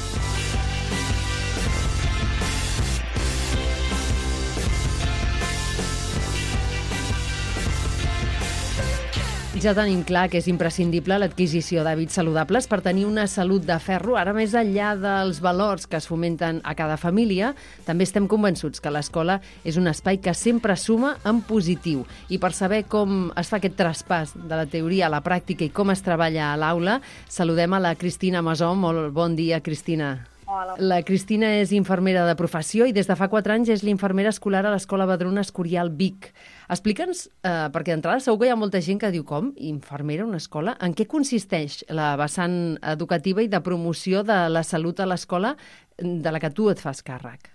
Speaker 2: Ja tenim clar que és imprescindible l'adquisició d'hàbits saludables per tenir una salut de ferro. Ara, més enllà dels valors que es fomenten a cada família, també estem convençuts que l'escola és un espai que sempre suma en positiu. I per saber com es fa aquest traspàs de la teoria a la pràctica i com es treballa a l'aula, saludem a la Cristina Masó. Molt bon dia, Cristina.
Speaker 9: Hola.
Speaker 2: La Cristina és infermera de professió i des de fa 4 anys és l'infermera escolar a l'Escola Vedruna Escorial Vic. Explica'ns, perquè d'entrada segur que hi ha molta gent que diu com, infermera a una escola? En què consisteix la vessant educativa i de promoció de la salut a l'escola de la que tu et fas càrrec?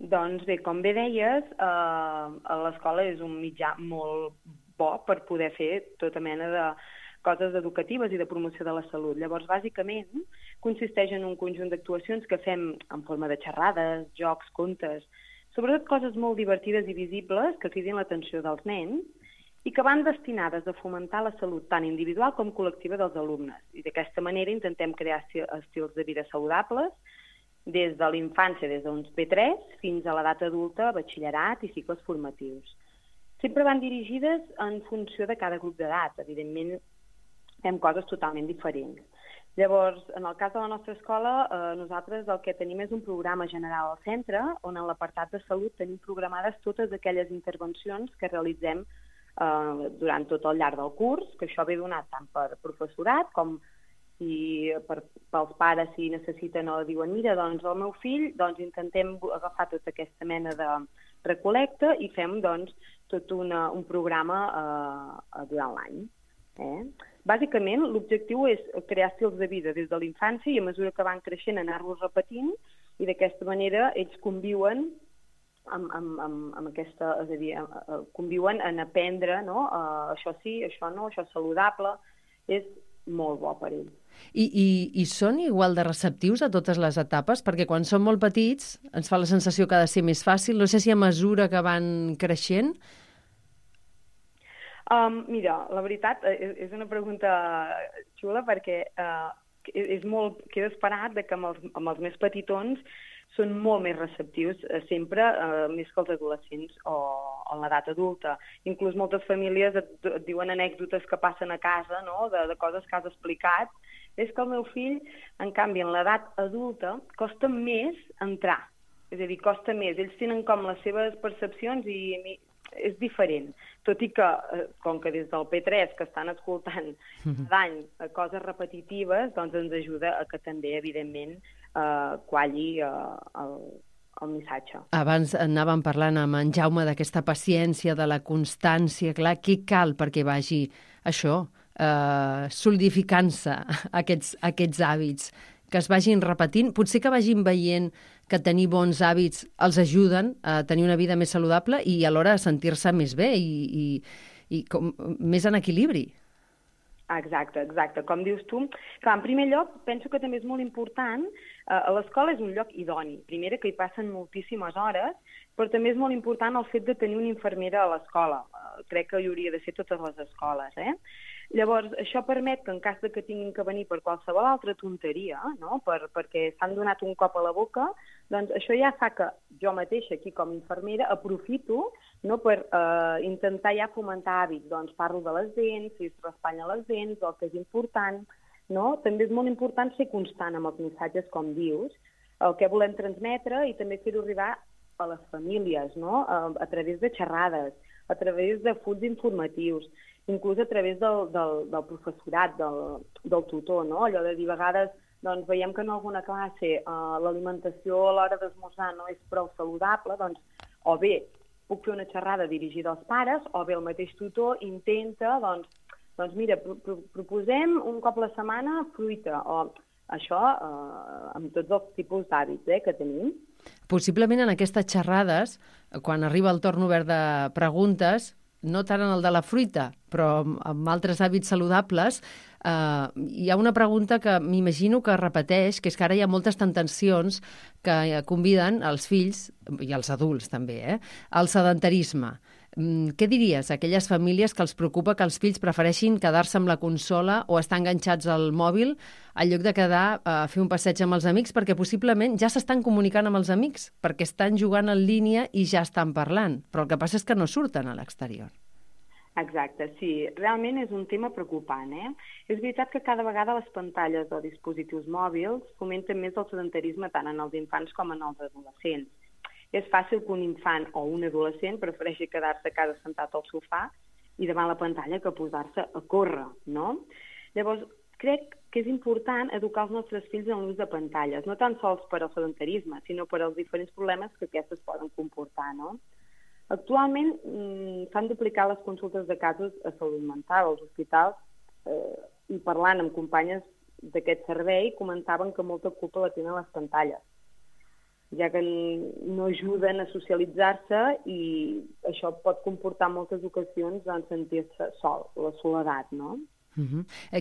Speaker 9: Doncs bé, com bé deies, l'escola és un mitjà molt bo per poder fer tota mena de coses educatives i de promoció de la salut. Llavors, bàsicament, consisteix en un conjunt d'actuacions que fem en forma de xerrades, jocs, contes, sobretot coses molt divertides i visibles que cridin l'atenció dels nens i que van destinades a fomentar la salut tant individual com col·lectiva dels alumnes. I d'aquesta manera intentem crear estils de vida saludables des de l'infància, des d'uns P3 fins a l'edat adulta, batxillerat i cicles formatius. Sempre van dirigides en funció de cada grup d'edat. Evidentment, fem coses totalment diferents. Llavors, en el cas de la nostra escola, nosaltres el que tenim és un programa general al centre, on en l'apartat de salut tenim programades totes aquelles intervencions que realitzem durant tot el llarg del curs, que això ve donat tant per professorat com pels pares si necessiten o diuen, mira, doncs el meu fill, doncs intentem agafar tota aquesta mena de recolecta i fem doncs tot un programa durant l'any. Bàsicament, l'objectiu és crear estils de vida des de la infància i a mesura que van creixent anar-los repetint i d'aquesta manera ells conviuen amb aquesta, és a dir, conviuen en aprendre, no? Això sí, això no, això és saludable, és molt bo per ells.
Speaker 2: I són igual de receptius a totes les etapes? Perquè quan són molt petits ens fa la sensació que ha de ser més fàcil. No sé si a mesura que van creixent...
Speaker 9: Mira, la veritat és una pregunta xula perquè queda esperat que amb els més petitons són molt més receptius sempre, més que els adolescents o en l'edat adulta. Inclús moltes famílies et diuen anècdotes que passen a casa, no?, de coses que has explicat. És que el meu fill, en canvi, en l'edat adulta, costa més entrar. És a dir, costa més. Ells tenen com les seves percepcions i és diferent. Tot i que, com que des del P3 que estan escoltant cada any coses repetitives, doncs ens ajuda a que també, evidentment, qualli el missatge.
Speaker 2: Abans anàvem parlant amb en Jaume d'aquesta paciència, de la constància. Clar, què cal perquè vagi això, solidificant-se aquests hàbits, que es vagin repetint, potser que vagin veient que tenir bons hàbits els ajuden a tenir una vida més saludable i alhora a sentir-se més bé i més en equilibri.
Speaker 9: Exacte. Com dius tu, clar, en primer lloc, penso que també és molt important, l'escola és un lloc idoni. Primera, que hi passen moltíssimes hores, però també és molt important el fet de tenir una infermera a l'escola. Crec que hi hauria de ser totes les escoles, Llavors, això permet que en cas de que tinguin que venir per qualsevol altra tonteria, no?, perquè s'han donat un cop a la boca, doncs això ja fa que jo mateixa, aquí com a infermera, aprofito, no?, per intentar ja fomentar hàbits. Doncs parlo de les dents, si es raspallen les dents, el que és important, no? També és molt important ser constant amb els missatges, com dius, el que volem transmetre i també fer-ho arribar a les famílies, no?, a través de xerrades, a través de fulls informatius, inclús a través del professorat, del tutor, no? Allò de dir, a vegades, doncs, veiem que en alguna classe l'alimentació a l'hora d'esmorzar no és prou saludable, doncs, o bé puc fer una xerrada dirigida als pares, o bé el mateix tutor intenta, doncs mira, proposem un cop a la setmana fruita, o això amb tots els tipus d'hàbits que tenim.
Speaker 2: Possiblement en aquestes xerrades, quan arriba el torn obert de preguntes, no tant en el de la fruita, però amb altres hàbits saludables, hi ha una pregunta que m'imagino que repeteix, que és que ara hi ha moltes tentacions que conviden els fills, i els adults també, al sedentarisme. Què diries a aquelles famílies que els preocupa que els fills prefereixin quedar-se amb la consola o estar enganxats al mòbil en lloc de quedar a fer un passeig amb els amics, perquè possiblement ja s'estan comunicant amb els amics, perquè estan jugant en línia i ja estan parlant, però el que passa és que no surten a l'exterior.
Speaker 9: Exacte, sí. Realment és un tema preocupant, És veritat que cada vegada les pantalles o dispositius mòbils fomenten més el sedentarisme tant en els infants com en els adolescents. És fàcil que un infant o un adolescent prefereixi quedar-se a casa sentat al sofà i davant la pantalla que posar-se a córrer, no? Llavors, crec que és important educar els nostres fills en l'ús de pantalles, no tan sols per al sedentarisme, sinó per als diferents problemes que aquestes poden comportar, no? Actualment s'han duplicat les consultes de casos a salut mental als hospitals i parlant amb companyes d'aquest servei comentaven que molta culpa la tenen les pantalles, ja que no ajuden a socialitzar-se i això pot comportar en moltes ocasions en sentir-se sol, la soledat, no?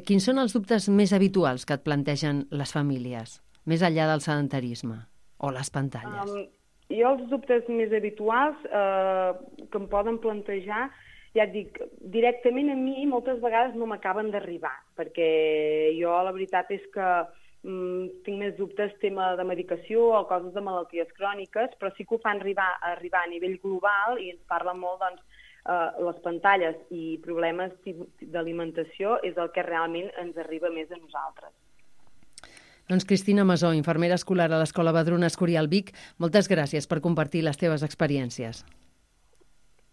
Speaker 2: Quins són els dubtes més habituals que et plantegen les famílies, més enllà del sedentarisme o les pantalles?
Speaker 9: Jo els dubtes més habituals que em poden plantejar, ja et dic, directament a mi moltes vegades no m'acaben d'arribar, perquè jo la veritat és que tinc més dubtes tema de medicació o coses de malalties cròniques, però sí que ho fan arribar a nivell global i ens parlen molt, doncs, les pantalles i problemes d'alimentació és el que realment ens arriba més a nosaltres.
Speaker 2: Doncs Cristina Masó, infermera escolar a l'Escola Vedruna Escorial Vic, moltes gràcies per compartir les teves experiències.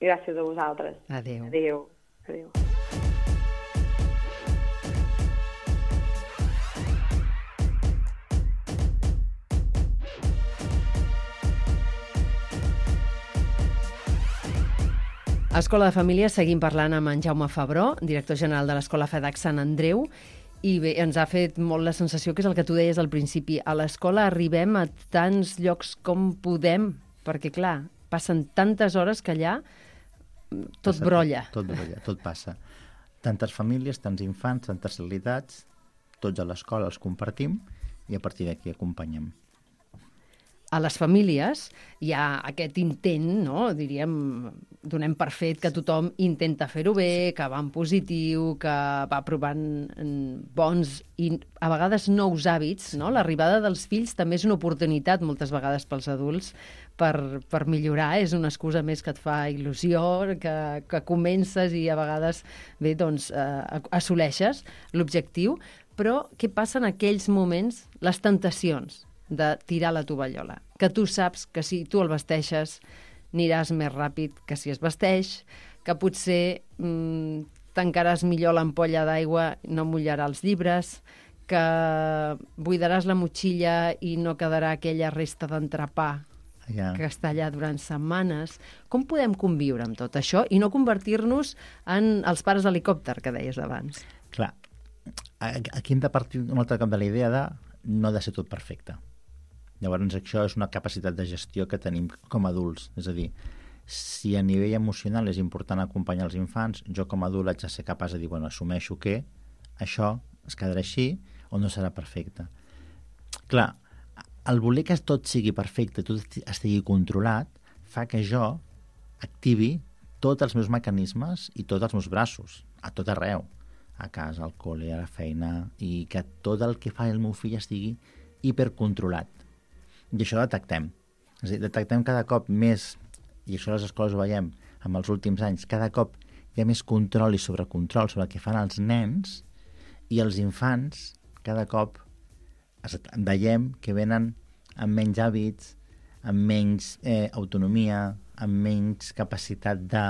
Speaker 9: Gràcies a vosaltres.
Speaker 2: Adéu.
Speaker 9: Adéu. Adéu.
Speaker 2: A Escola de Família seguim parlant amb en Jaume Febró, director general de l'Escola FEDAC Sant Andreu, i bé, ens ha fet molt la sensació que és el que tu deies al principi. A l'escola arribem a tants llocs com podem, perquè clar, passen tantes hores que allà tot brolla.
Speaker 3: Tot brolla, tot passa. Tantes famílies, tants infants, tantes realitats, tots a l'escola els compartim i a partir d'aquí acompanyem.
Speaker 2: a les famílies hi ha aquest intent, no? Diríem, donem per fet que tothom intenta fer-ho bé, que va en positiu, que va provant bons i a vegades nous hàbits, no? L'arribada dels fills també és una oportunitat moltes vegades pels adults per millorar, és una excusa més que et fa il·lusió, que comences i a vegades bé, doncs, assoleixes l'objectiu, però què passa en aquells moments, les tentacions de tirar la tovallola? Que tu saps que si tu el vesteixes aniràs més ràpid que si es vesteix, que potser tancaràs millor l'ampolla d'aigua, no mullarà els llibres, que buidaràs la motxilla i no quedarà aquella resta d'entrepà que està allà durant setmanes. Com podem conviure amb tot això i no convertir-nos en els pares helicòpter que deies abans?
Speaker 3: Clar, aquí hem de partir un altre cop de la idea de no ha de ser tot perfecte. Llavors, això és una capacitat de gestió que tenim com a adults. És a dir, si a nivell emocional és important acompanyar els infants, jo com a adult haig de ser capaç de dir, bueno, assumeixo que això es quedarà així o no serà perfecte. Clar, el voler que tot sigui perfecte, tot estigui controlat, fa que jo activi tots els meus mecanismes i tots els meus braços, a tot arreu, a casa, al col·le, a la feina, i que tot el que fa el meu fill estigui hipercontrolat. I això detectem. És a dir, detectem cada cop més, i això a les escoles ho veiem en els últims anys, cada cop hi ha més control i sobrecontrol sobre el que fan els nens, i els infants cada cop veiem que venen amb menys hàbits, amb menys autonomia, amb menys capacitat de...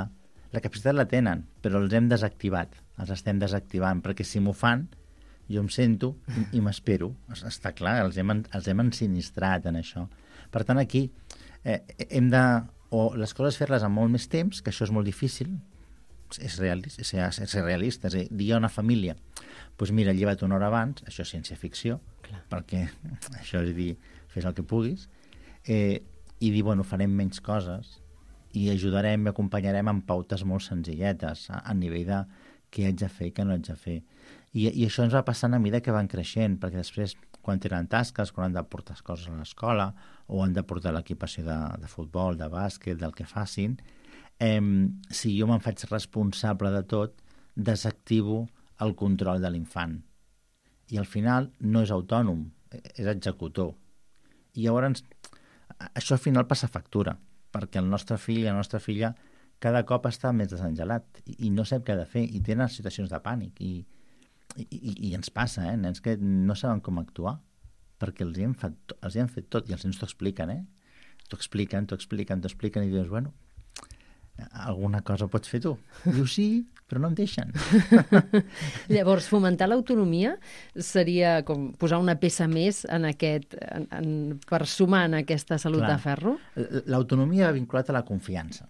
Speaker 3: La capacitat la tenen, però els hem desactivat, els estem desactivant, perquè si m'ho fan, jo em sento i m'espero. Està clar, els hem ensinistrat en això. Per tant, aquí hem de... O les coses fer-les amb molt més temps, que això és molt difícil, és ser realista, és a dir, dir a una família, doncs mira, lleva't una hora abans, això és ciència-ficció, perquè això és dir, fes el que puguis, i dir, bueno, farem menys coses i ajudarem i acompanyarem amb pautes molt senzilletes a nivell de què haig de fer i què no haig de fer. I això ens va passant a mesura que van creixent, perquè després, quan tenen tasques, quan han de portar coses a l'escola o han de portar l'equipació de futbol, de bàsquet, del que facin, si jo me'n faig responsable de tot, desactivo el control de l'infant. I al final no és autònom, és executor. I llavors això al final passa factura, perquè el nostre fill i la nostra filla cada cop està més desengelat i no sap què ha de fer i tenen situacions de pànic i ens passa, nens que no saben com actuar perquè els hi han fet tot i els nens t'ho expliquen, t'ho expliquen i dius, bueno, alguna cosa pots fer tu. Diu sí, però no em deixen.
Speaker 2: Llavors, fomentar l'autonomia seria com posar una peça més en per sumar en aquesta salut de ferro?
Speaker 3: L'autonomia va vinculat a la confiança.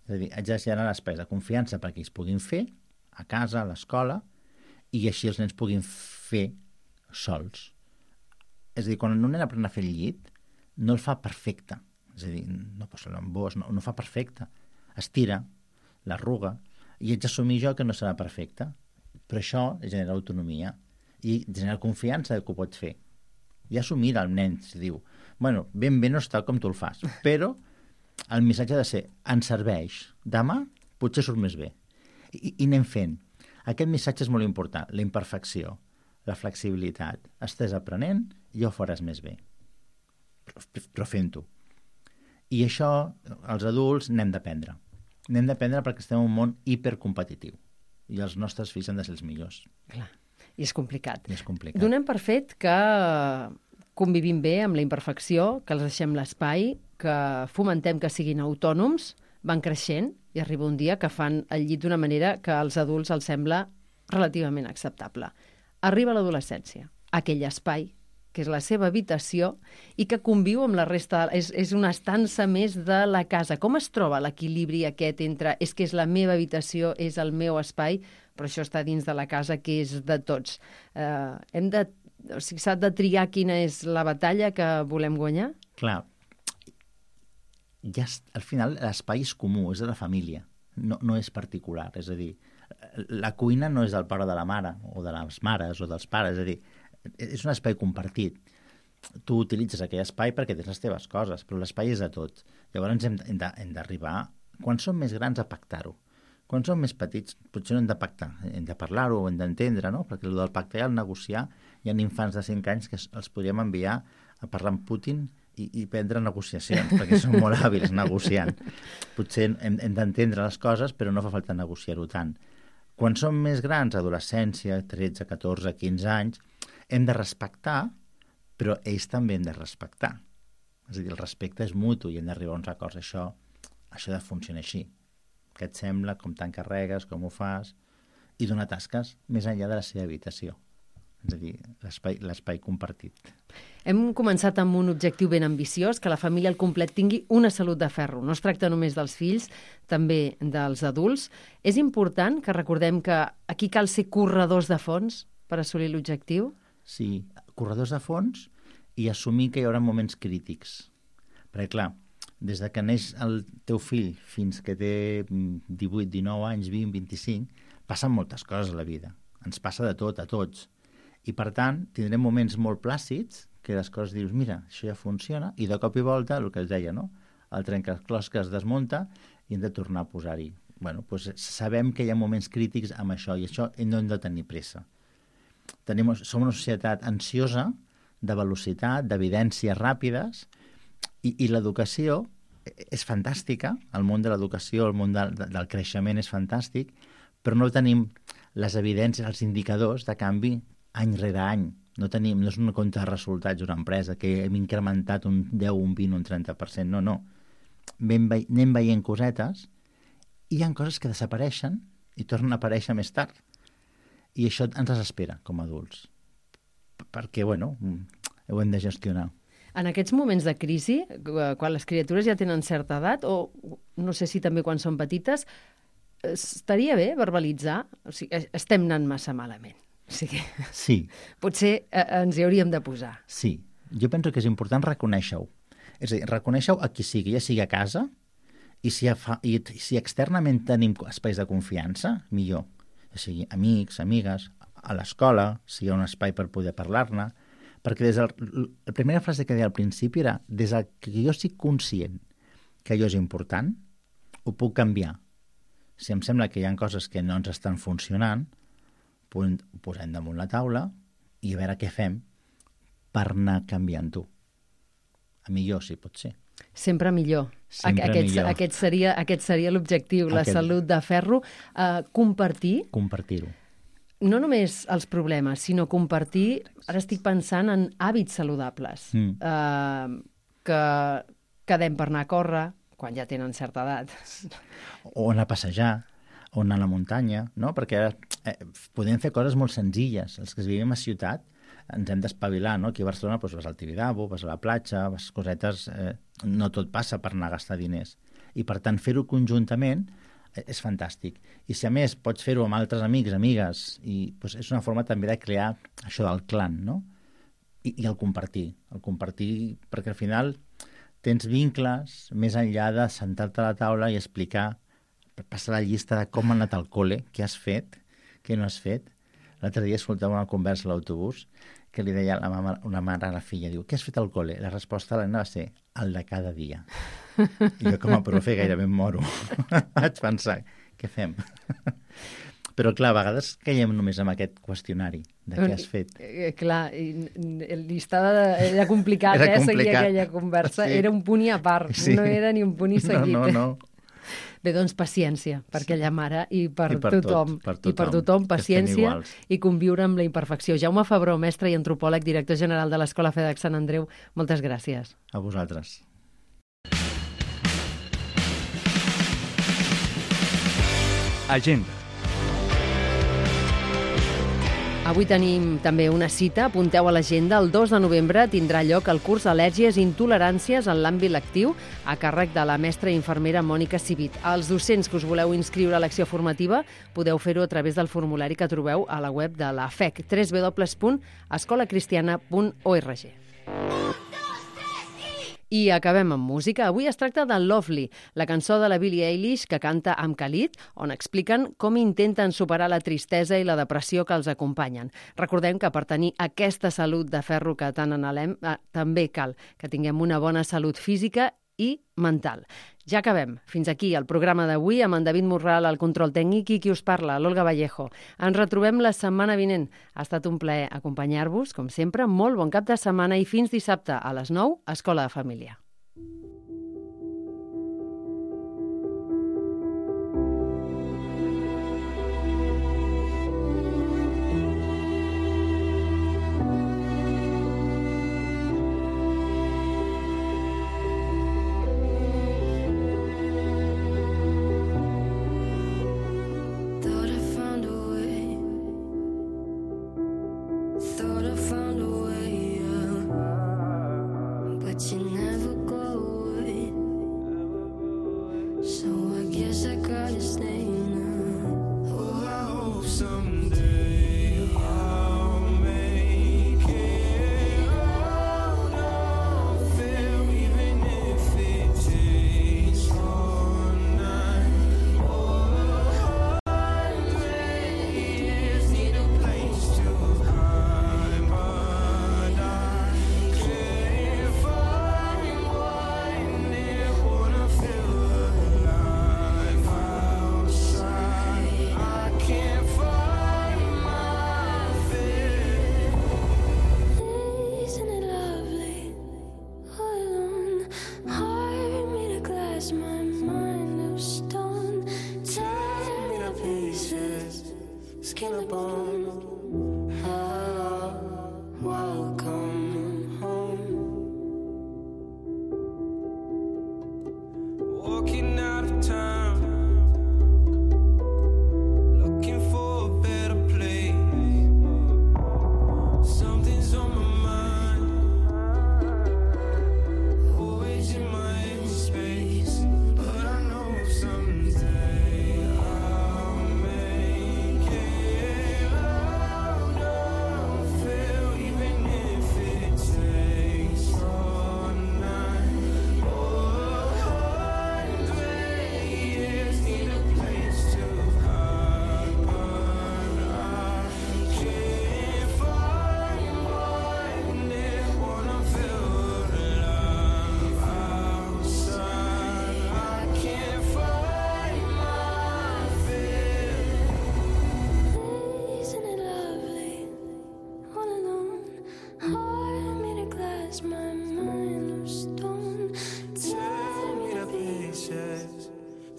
Speaker 3: És a dir, haig de generar espais de confiança perquè ells puguin fer a casa, a l'escola, i així els nens puguin fer sols. És a dir, quan un nen aprèn a fer el llit, no el fa perfecte. És a dir, no posa l'embós, no fa perfecte. Estira, l'arruga, i haig d'assumir jo que no serà perfecte. Però això genera autonomia i genera confiança que ho pots fer. I assumir el nen, si diu, bueno, ben bé no està com tu el fas, però el missatge ha de ser, ens serveix, demà potser surt més bé. I anem fent. Aquest missatge és molt important, la imperfecció, la flexibilitat. Estàs aprenent i ja ho faràs més bé. Però fent-ho. I això, els adults, n'hem d'aprendre. N'hem d'aprendre perquè estem en un món hipercompetitiu. I els nostres fills han de ser els millors.
Speaker 2: Clar. I és complicat.
Speaker 3: I és complicat.
Speaker 2: Donem per fet que convivim bé amb la imperfecció, que els deixem l'espai, que fomentem que siguin autònoms, van creixent i arriba un dia que fan el llit d'una manera que als adults els sembla relativament acceptable. Arriba l'adolescència, aquell espai que és la seva habitació i que conviu amb la resta, és una estança més de la casa. Com es troba l'equilibri aquest entre és que és la meva habitació, és el meu espai, però això està dins de la casa que és de tots? S'ha de triar quina és la batalla que volem guanyar?
Speaker 3: Clar, ja al final l'espai és comú, és de la família, no és particular. És a dir, la cuina no és del pare o de la mare, o de les mares o dels pares, és a dir, és un espai compartit. tu utilitzes aquell espai perquè tens les teves coses, però l'espai és de tot. Llavors hem d'arribar, quan som més grans, a pactar-ho. Quan som més petits, potser no hem de pactar, hem de parlar-ho, hem d'entendre, no? Perquè el del pactar i el negociar, hi ha infants de 5 anys que els podríem enviar a parlar amb Putin i prendre negociacions, perquè són molt hàbils negociant. Potser hem d'entendre les coses, però no fa falta negociar-ho tant. Quan som més grans, adolescència, 13, 14, 15 anys, hem de respectar, però ells també hem de respectar. És a dir, el respecte és mutu i hem d'arribar a uns acords. Això ha de funcionar així. Què et sembla, com t'encarregues, com ho fas, i donar tasques més enllà de la seva habitació. És a dir, l'espai compartit.
Speaker 2: Hem començat amb un objectiu ben ambiciós, que la família al complet tingui una salut de ferro. No es tracta només dels fills, també dels adults. És important que recordem que aquí cal ser corredors de fons per assolir l'objectiu?
Speaker 3: Sí, corredors de fons i assumir que hi haurà moments crítics. Perquè, clar, des de que neix el teu fill fins que té 18, 19 anys, 20, 25, passen moltes coses a la vida. Ens passa de tot, a tots. I, per tant, tindrem moments molt plàcids que les coses dius, mira, això ja funciona, i de cop i volta, el que es deia, no? El trencaclosques es desmunta i hem de tornar a posar-hi. Bueno, doncs sabem que hi ha moments crítics amb això, i això no hem de tenir pressa. Som una societat ansiosa, de velocitat, d'evidències ràpides, i l'educació és fantàstica, el món de l'educació, el món del creixement és fantàstic, però no tenim les evidències, els indicadors de canvi any rere any. No és un compte de resultats d'una empresa que hem incrementat un 10, un 20, un 30%, no. Anem veient cosetes i hi ha coses que desapareixen i tornen a aparèixer més tard. I això ens desespera com a adults, perquè, bueno, ho hem de gestionar.
Speaker 2: En aquests moments de crisi, quan les criatures ja tenen certa edat, o no sé si també quan són petites, estaria bé verbalitzar? O sigui, estem anant massa malament. O sigui,
Speaker 3: sí.
Speaker 2: Potser ens hi hauríem de posar.
Speaker 3: Sí. Jo penso que és important reconèixer-ho. És a dir, reconèixer-ho a qui sigui, ja sigui a casa, i si externament tenim espais de confiança, millor. Ja sigui amics, amigues, a l'escola, si hi ha un espai per poder parlar-ne, perquè la primera frase que deia al principi era des que jo estic conscient que allò és important, ho puc canviar. Si em sembla que hi ha coses que no ens estan funcionant, ho posem damunt la taula i a veure què fem per anar canviant-ho. A millor, si pot ser.
Speaker 2: Sempre millor.
Speaker 3: Millor.
Speaker 2: Aquest seria l'objectiu, la salut de ferro.
Speaker 3: Compartir-ho.
Speaker 2: No només els problemes, sinó compartir, ara estic pensant en hàbits saludables, que quedem per anar a córrer, quan ja tenen certa edat.
Speaker 3: O anar a passejar, o anar a la muntanya, no? Perquè podem fer coses molt senzilles. Els que vivim a ciutat ens hem d'espavilar, no? Aquí a Barcelona vas al Tibidabo, vas a la platja, vas cosetes... No tot passa per anar a gastar diners. I, per tant, fer-ho conjuntament és fantàstic. I si a més pots fer-ho amb altres amics, amigues, i doncs és una forma també de crear això del clan, no? I el compartir, perquè al final tens vincles més enllà de sentar-te a la taula i explicar, passar la llista de com ha anat al col·le, què has fet, què no has fet. L'altre dia escoltava una conversa a l'autobús que li deia una mare a la filla, diu, què has fet al col·le? La resposta a l'Anna va ser, el de cada dia. I jo com a profe gairebé em moro. Vaig pensar, què fem? Però clar, a vegades caiem només amb aquest qüestionari de què has fet.
Speaker 2: Clar, era complicat, seguir aquella conversa. Sí. Era un punt i a part, sí. No era ni un punt i seguit.
Speaker 3: No.
Speaker 2: Bé, doncs paciència per aquella mare i per tothom.
Speaker 3: Per
Speaker 2: tothom, paciència i conviure amb la imperfecció. Jaume Febró, mestre i antropòleg, director general de l'Escola FEDEC Sant Andreu, moltes gràcies.
Speaker 3: A vosaltres.
Speaker 1: Agenda.
Speaker 2: Avui tenim també una cita, apunteu a l'agenda, el 2 de novembre tindrà lloc el curs Al·lèrgies i intoleràncies en l'àmbit lectiu a càrrec de la mestra i infermera Mònica Civit. Els docents que us voleu inscriure a l'acció formativa podeu fer-ho a través del formulari que trobeu a la web de la FEC, www.escolacristiana.org. I acabem amb música. Avui es tracta de Lovely, la cançó de la Billie Eilish que canta amb Khalid, on expliquen com intenten superar la tristesa i la depressió que els acompanyen. Recordem que per tenir aquesta salut de ferro que tant anhelem, també cal que tinguem una bona salut física i mental. Ja acabem. Fins aquí el programa d'avui amb en David Morral al control tècnic i qui us parla, l'Olga Vallejo. Ens retrobem la setmana vinent. Ha estat un plaer acompanyar-vos, com sempre. Molt bon cap de setmana i fins dissabte a les 9, Escola de Família.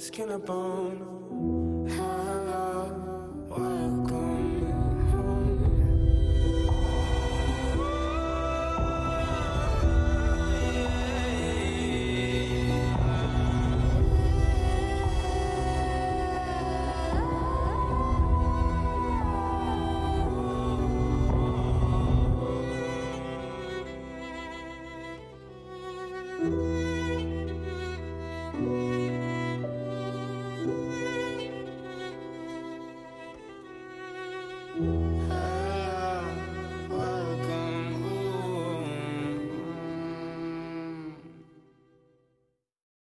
Speaker 10: Skin up on